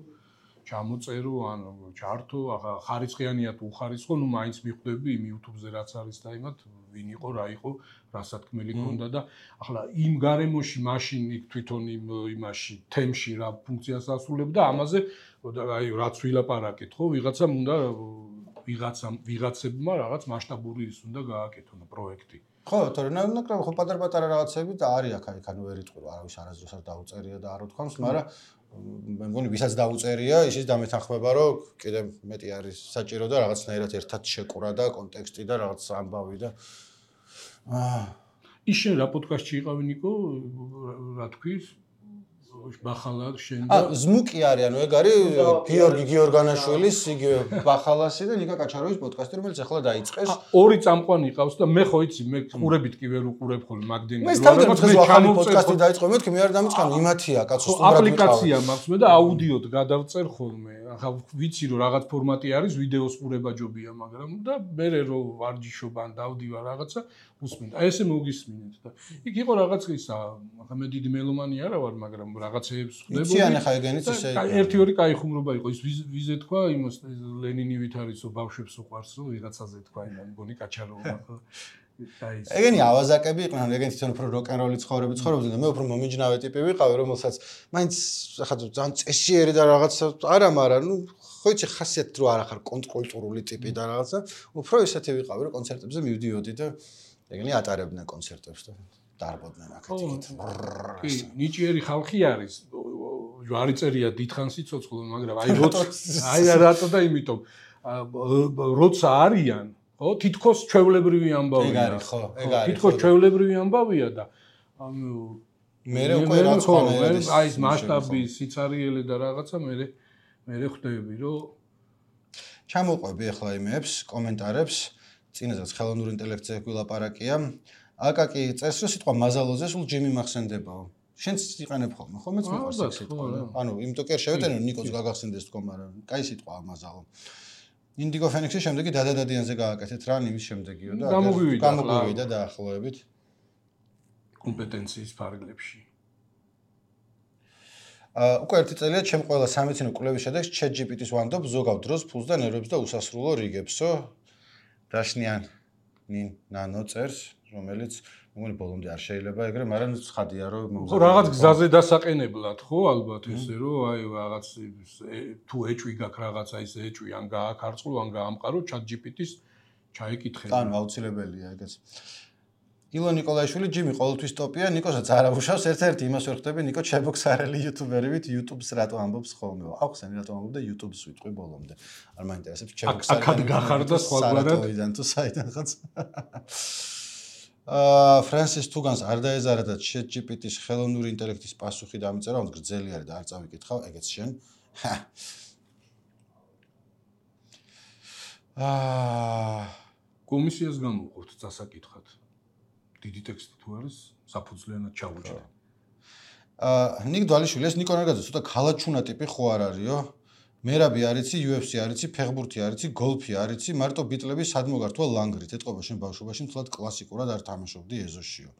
ჩამოწერო ან ჩართო, ახლა ხარისხიანია თუ უხარისხო, ნუ მაინც მიხვდები იმ YouTube-ზე რაც არის და იმათ ვინ იყო, რა იყო, რა სათქმელი ქონდა და ახლა იმ გარემოში მაშინ იქ თვითონ იმ იმაში თემში რა ფუნქციას ასრულებდა, ამაზე აი რაც ვილაპარაკეთ, ხო, ვიღაცამ უნდა ვიღაცამ ვიღაცებმა რაღაც მასშტაბური ის უნდა გააკეთონ პროექტი. ხო, თორემ ნაკლებად ხო პატარ-პატარა რაღაცები და არის აქ აი ხან ვერ იტყვი არავის არასდროს არ დაუწერია და არ უთქვამს, მაგრამ მე მგონი ვისაც დაუწერია, ისიც დამეთანხმება, რომ კიდე მეტი არის საჭირო და რაღაცნაირად ერთად შეკვრა და კონტექსტი და რაღაც ამბავი და აა ის შენ რა პოდკასტში იყავი ნიკო, რა თქვის? ბახალა შენ და აა ზმუკი არის, ანუ ეგ არის გიორგი გიორგანაშვილის იგივე ბახალასი და ნიკა კაჩაროვის პოდკასტი, რომელიც ახლა დაიწყეს. ორი წამყვანი იყავს და მე ხო იცი, მე ყურებით კი ვერ უყურებ ხოლმე მაგდენი. მე სტანდარტულად ახალი პოდკასტი დაიწყო, მეთქი მე არ დამიწყანო, იმათია, კაცო, სტუმრად ვიყავ. აპლიკაცია მაქვს მე და აუდიოდ გადავწერ ხოლმე. ახლა ვიცი რომ რაღაც ფორმატი არის, ვიდეოს ყურება ჯობია, მაგრამ და მე რომ ვარჯიშობ ან დავდივარ რაღაცა, უსმინდა. აი ესე მოგისმინეთ და იქ იყო რაღაც ისა, ახლა მე დიდი მელომანი არა ვარ, მაგრამ რაღაცეებს ხდებოდი. იციან ახლა ეგენიც ისე. ერთი ორი კაი ხუმრობა იყო, ის ვიზე თქვა, იმას ლენინივით არისო ბავშვებს უყვარს, რომ ვიღაცაზე თქვა, იმან მგონი კაჩაროვა. ეგენი ავაზაკები იყვნენ, ეგენი თვითონ უფრო როკ-ენ-როლი ცხოვრები ცხოვრობდნენ და მე უფრო მომიჯნავე ტიპი ვიყავი, რომელსაც მაინც ახლა ძალიან წესიერი და რაღაცა არა, მაგრამ ნუ ხო იცი ხასიათით რო არ ახარ კონტრკულტურული ტიპი და რაღაცა, უფრო ისეთი ვიყავი, რომ კონცერტებზე მივდიოდი და ეგენი ატარებდნენ კონცერტებს და დარბოდნენ აქეთ. კი, ნიჭიერი ხალხი არის. ჯვარი წერია დიდხანს იცოცხლო, მაგრამ აი როცა აი რატო და იმიტომ როცა არიან ხო თითქოს ჩვეულებრივი ამბავია. ეგ არის ხო, ეგ არის. თითქოს ჩვეულებრივი ამბავია და ანუ მე უკვე რაც ხომ აი ეს მასშტაბი, სიცარიელე და რაღაცა მე მე ხვდები რომ ჩამოყვები ახლა იმებს, კომენტარებს, წინაზეც ხელოვნური ინტელექტზე გვილაპარაკია. აკაკი წერს რომ სიტყვა მაზალოზე სულ ჯიმი მახსენდებაო. შენც იყენებ ხოლმე, ხო მეც მიყვარს ეს სიტყვა. ანუ იმიტომ კი არ შევეტენო ნიკოს გაგახსენდეს თქო, მაგრამ კაი სიტყვაა მაზალო. ინდიგო ფენიქსის შემდეგი დადადადიანზე გააკეთეთ რა, იმის შემდეგიო და გამოგვივიდა დაახლოებით კომპეტენციის ფარგლებში. აა უკვე ერთი წელია ჩემ ყველა სამეცნიერო კვლევის შედეგს ChatGPT-ს ვანდობ ზოგავ დროს ფულს და ნერვებს და უსასრულო რიგებსო. დაშნიან ნინ ნანო წერს, რომელიც მეგონი ბოლომდე არ შეიძლება ეგრე, მაგრამ ცხადია რომ ხო რაღაც გზაზე დასაყენებლად ხო ალბათ ესე რომ აი რაღაც თუ ეჭვი გაქვს რაღაცა ის ეჭვი ან გააქარწყლო ან გაამყარო ChatGPT-ს ჩაიკითხე. ანუ აუცილებელია ეგეც. ილო ნიკოლაიშვილი ჯიმი ყოველთვის ტოპია, ნიკოსაც არ აუშავს, ერთ-ერთი იმას ვერ ხვდები, ნიკო ჩებოქსარელი იუთუბერივით YouTube-ს რატო ამბობს ხოლმე. აუხსენი რატო ამბობდა YouTube-ს ვიტყვი ბოლომდე. არ მაინტერესებს ჩებოქსარელი. აქად გახარდა სხვაგვარად. საერთოდან თუ საიდანღაც. აა ფრანსის თუგანს არ დაეზარა და ChatGPT-ს ხელოვნური ინტელექტის პასუხი დამიწერა, რომ გრძელი არის და არ წავიკითხავ, ეგეც შენ. აა კომისიას გამოვყოთ დასაკითხად. დიდი ტექსტი თუ არის, საფუძვლიანად ჩავუჭრე. აა ნიკ დვალიშვილი ეს ნიკო ნარგაძე ცოტა ქალაჩუნა ტიპი ხო არ არისო? მერაბი არიცი, U F C არიცი, ფეხბურთი არიცი, გოლფი არიცი, მარტო ბიტლები სად მოგართვა ლანგრით. ეთყობა შენ ბავშვობაში მთლად კლასიკურად არ თამაშობდი ეზოშიო.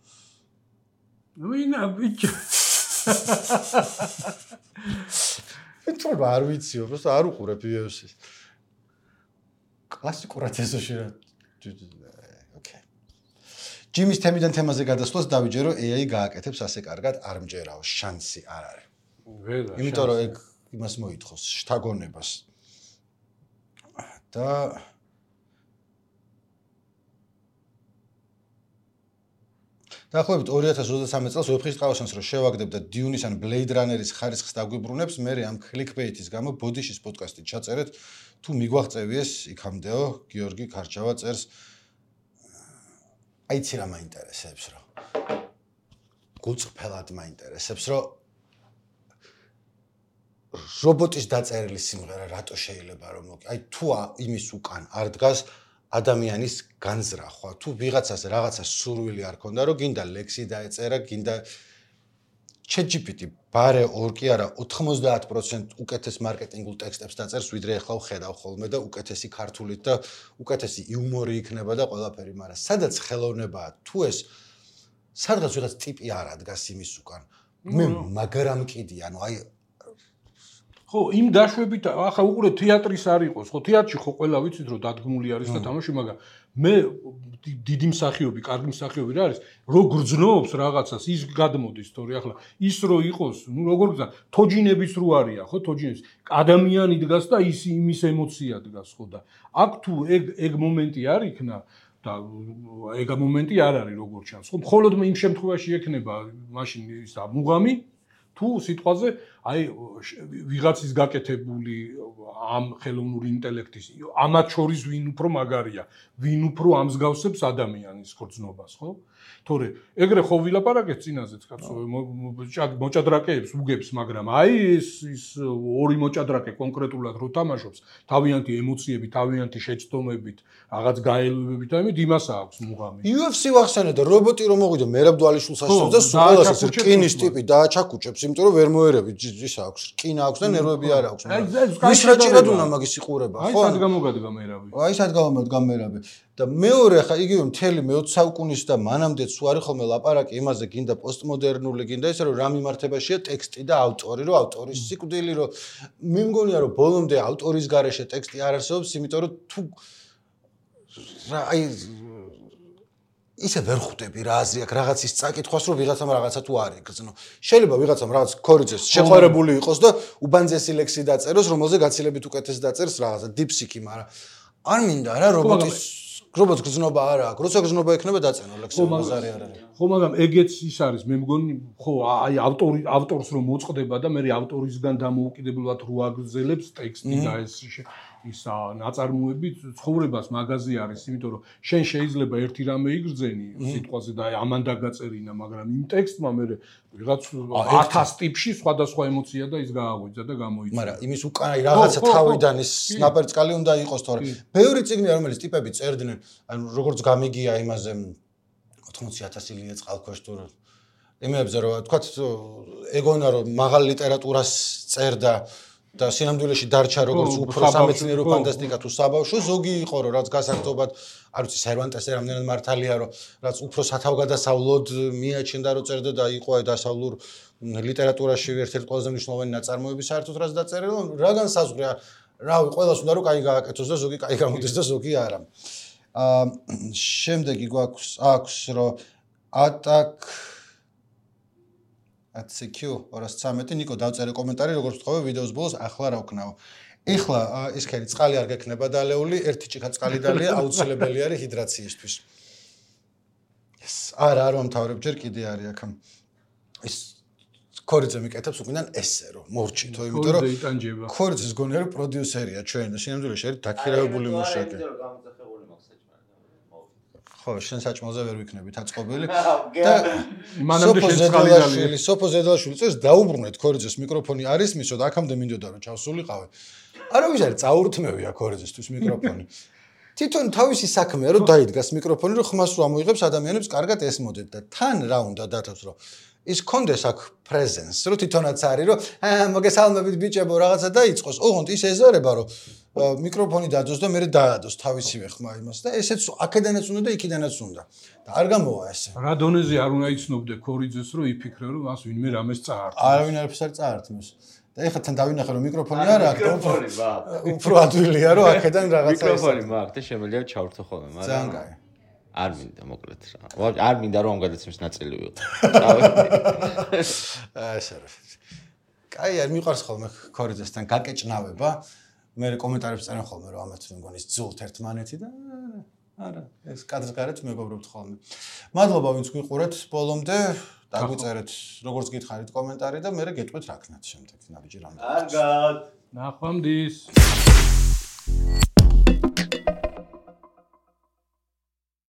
ვინა ბიჭო. ეთყობა არ ვიციო, просто არ უყურებ U F C-ს. კლასიკურად ეზოში რა. ოკეი. ჯიმის თემიდან თემაზე გადასვლას დავიჯერო A I გააკეთებს ასე კარგად არ მჯერაო, შანსი არ არის. ვერა. იმიტომ რომ ეგ იმას მოითხოვს შთაგონებას. და დაახლოებით ორი ათას ოცდამეტ წელს ვეფხისტყაოსანს რო შევაგდებ და დიუნის ან Blade Runner-ის ხარისხს დაგვიბრუნებს, მე ამ clickbait-ის გამო ბოდიშის პოდკასტი ჩაწერეთ, თუ მიგვაღწევიეს იქამდეო, გიორგი ქარჩავა წერს. აიცი რა მაინტერესებს რა. გულწრფელად მაინტერესებს, რომ რობოტის დაწერილი სიმღერა რატო შეიძლება რომ აი თუ იმის უკან არ დგას ადამიანის განზრახვა, თუ ვიღაცას რაღაცა სურვილი არ ქონდა, რომ გინდა ლექსი დაეწერა, გინდა ChatGPT ბარე ორ კი არა ოთხმოცდაათ პროცენტ უკეთეს მარკეტინგულ ტექსტებს დაწერს, ვიდრე ახლა ვხედავ ხოლმე და უკეთესი ქართულით და უკეთესი იუმორი იქნება და ყველაფერი, მაგრამ სადაც ხელოვნებაა, თუ ეს სადღაც ვიღაც ტიპი არ ადგას იმის უკან. მე მაგრამ კიდი, ანუ აი ხო, იმ დაშვებით ახლა უყურე თეატრის არ იყოს, ხო, თეატრში ხო ყველა ვიცით რომ დადგმული არის და თამაში, მაგრამ მე დიდი მსახიობი, კარგი მსახიობი რა არის, რო გრძნობს რაღაცას, ის გადმოდის თორე ახლა ის რო იყოს, ნუ როგორ გზა, თოჯინების რო არია, ხო, თოჯინების ადამიანი დგას და ის იმის ემოცია დგას, ხო და აქ თუ ეგ ეგ მომენტი არ იქნა და ეგ მომენტი არ არის როგორ ჩანს, ხო, მხოლოდ იმ შემთხვევაში ექნება მაშინ ის მუღამი თუ სიტყვაზე აი ვიღაცის გაკეთებული ამ ხელოვნური ინტელექტის ამათ შორის ვინ უფრო მაგარია, ვინ უფრო ამსგავსებს ადამიანის გრძნობას, ხო? თორე ეგრე ხო ვილაპარაკეთ წინაზეც კაცო, მოჭადრაკეებს უგებს, მაგრამ აი ეს ის ორი მოჭადრაკე კონკრეტულად რო თამაშობს, თავიანთი ემოციები, თავიანთი შეცდომებით, რაღაც გაელვებით, ამით იმას აქვს მუღამი. იუ ეფ სი ვახსენე და რობოტი რომ მოვიდა მერაბ დვალიშვილს ასწავდა და სულას ეს რკინის ტიპი დააჩაკუჭებს, იმიტომ რომ ვერ მოერებით ის აქვს, რკინა აქვს და ნერვები არ აქვს. ის რაჭირად უნდა მაგის იყურება, ხო? აი სად გამოგადგა მერაბი. აი სად გამოგადგა მერაბი. და მეორე ხა იგივე მთელი მეოცე საუკუნის და მანამდეც თუ არის ხოლმე ლაპარაკი იმაზე გინდა პოსტმოდერნული გინდა ისე რომ რა მიმართებაშია ტექსტი და ავტორი რომ ავტორის სიკვდილი რომ მე მგონია რომ ბოლომდე ავტორის გარეშე ტექსტი არ არსებობს იმიტომ რომ თუ რა აი ისე ვერ ხვდები რა აზრი აქვს რაღაცის წაკითხვას რომ ვიღაცამ რაღაცა თუ არ იგრძნო შეიძლება ვიღაცამ რაღაც ქორიძეს შეყვარებული იყოს და უბანძესი ლექსი დაწეროს რომელზე გაცილებით უკეთეს დაწერს რაღაცა დიპსიკი მაგრამ არ მინდა რა რობოტის რობოტს გზნობა არ აქვს. როცა გზნობა ექნება დაწენო ლექსი მოზარი არ არის. ხო, მაგრამ ეგეც ის არის, მე მგონი, ხო, აი ავტორი ავტორს რომ მოწყდება და მე ავტორისგან დამოუკიდებლად რო აგრძელებს ტექსტი და ეს ის ნაწარმოები ცხოვრებას მაგაზი არის, იმიტომ რომ შენ შეიძლება ერთი რამე იგრძენი სიტყვაზე და აი ამან დაგაწერინა, მაგრამ იმ ტექსტმა მე ვიღაც ათას ტიპში სხვადასხვა ემოცია და ის გააღვიძა და გამოიწვა. მაგრამ იმის უკან აი რაღაცა თავიდან ის ნაპერწკალი უნდა იყოს თორე. ბევრი წიგნია რომელიც ტიპები წერდნენ, ანუ როგორც გამიგია იმაზე ოთხმოცი ათასი ლია წყალქვეშ თუ იმებზე რომ თქვათ ეგონა რომ მაღალ ლიტერატურას წერდა და სინამდვილეში დარჩა როგორც უფრო სამეცნიერო ფანტასტიკა თუ საბავშვო ზოგი იყო რომ რაც გასართობად არ ვიცი სერვანტესი რამდენად მართალია რომ რაც უფრო სათავგადასავლოდ მიაჩნდა რომ წერდა და იყო აი დასავლურ ლიტერატურაში ერთ-ერთი ყველაზე მნიშვნელოვანი ნაწარმოები საერთოდ რაც დაწერილი რა განსაზღვრა რავი ყველას უნდა რომ კაი გააკეთოს და ზოგი კაი გამოდის და ზოგი არა აა შემდეგი გვაქვს აქვს რომ ატაკ აციკიუ ორას ცამეტი ნიკო დავწერე კომენტარი როგორც ვთხოვე ვიდეოს ბოლოს ახლა რა ვქნაო ეხლა ეს ხელი წყალი არ გექნება დალეული ერთი ჭიქა წყალი დალია აუცილებელი არის ჰიდრაციისთვის ეს არა არ მომთავრებ ჯერ კიდე არის აქ ეს ქორიძე მიკეთებს უკიდან ესე რომ მორჩითო იმიტომ რომ ქორიძეს გონია რომ პროდიუსერია ჩვენ და სინამდვილეში არის დაქირავებული მუშაკი ხო, შენ საჭმელზე ვერ ვიქნებით აწყობილი და მანამდე შენ წყალი დალია. სოფო ზედაშვილი წეს დაუბრუნეთ ქორიძეს მიკროფონი არის მისო და აქამდე მინდოდა რომ ჩავსულიყავე. არავის არის წაურთმევია ქორიძესთვის მიკროფონი. თვითონ თავისი საქმეა რომ დაიდგას მიკროფონი რომ ხმას რომ ამოიღებს ადამიანებს კარგად ესმოდეთ და თან რა უნდა დათოს რომ ის კონდეს აქ პრეზენს რომ თვითონაც არის რომ აა მოგესალმებით ბიჭებო რაღაცა დაიწყოს. ოღონდ ის ეზარება რომ მიკროფონი დადოს და მე დაადოს თავისივე ხმა იმას და ესეც აქედანაც უნდა და იქიდანაც უნდა და არ გამოვა ესე რა დონეზე არ უნდა იცნობდე ქორიძეს რომ იფიქრე რომ მას ვინმე რამეს წაართმევს არავინ არაფერს არ წაართმევს და ეხლა თან დავინახე რომ მიკროფონი არ აქვს მიკროფონი მაქვს უფრო ადვილია რომ აქედან რაღაცა მიკროფონი მაქვს და შემიძლია ჩავრთო ხოლმე მაგრამ ძალიან კაი არ მინდა მოკლედ რა არ მინდა რომ ამ გადაცემის ნაწილი ვიყო აი ესე რა კაი არ მიყვარს ხოლმე ქორიძესთან გაკეჭნავება მე კომენტარებს წერენ ხოლმე რომ ამათ მგონის ძულთ ერთმანეთი და არა ეს კადრს გარეთ მეგობრობთ ხოლმე მადლობა ვინც გვიყურეთ ბოლომდე დაგვიწერეთ როგორც გითხარით კომენტარი და მე გეტყვით რა ქნათ შემდეგ ნაბიჯი რამდენი კარგად ნახვამდის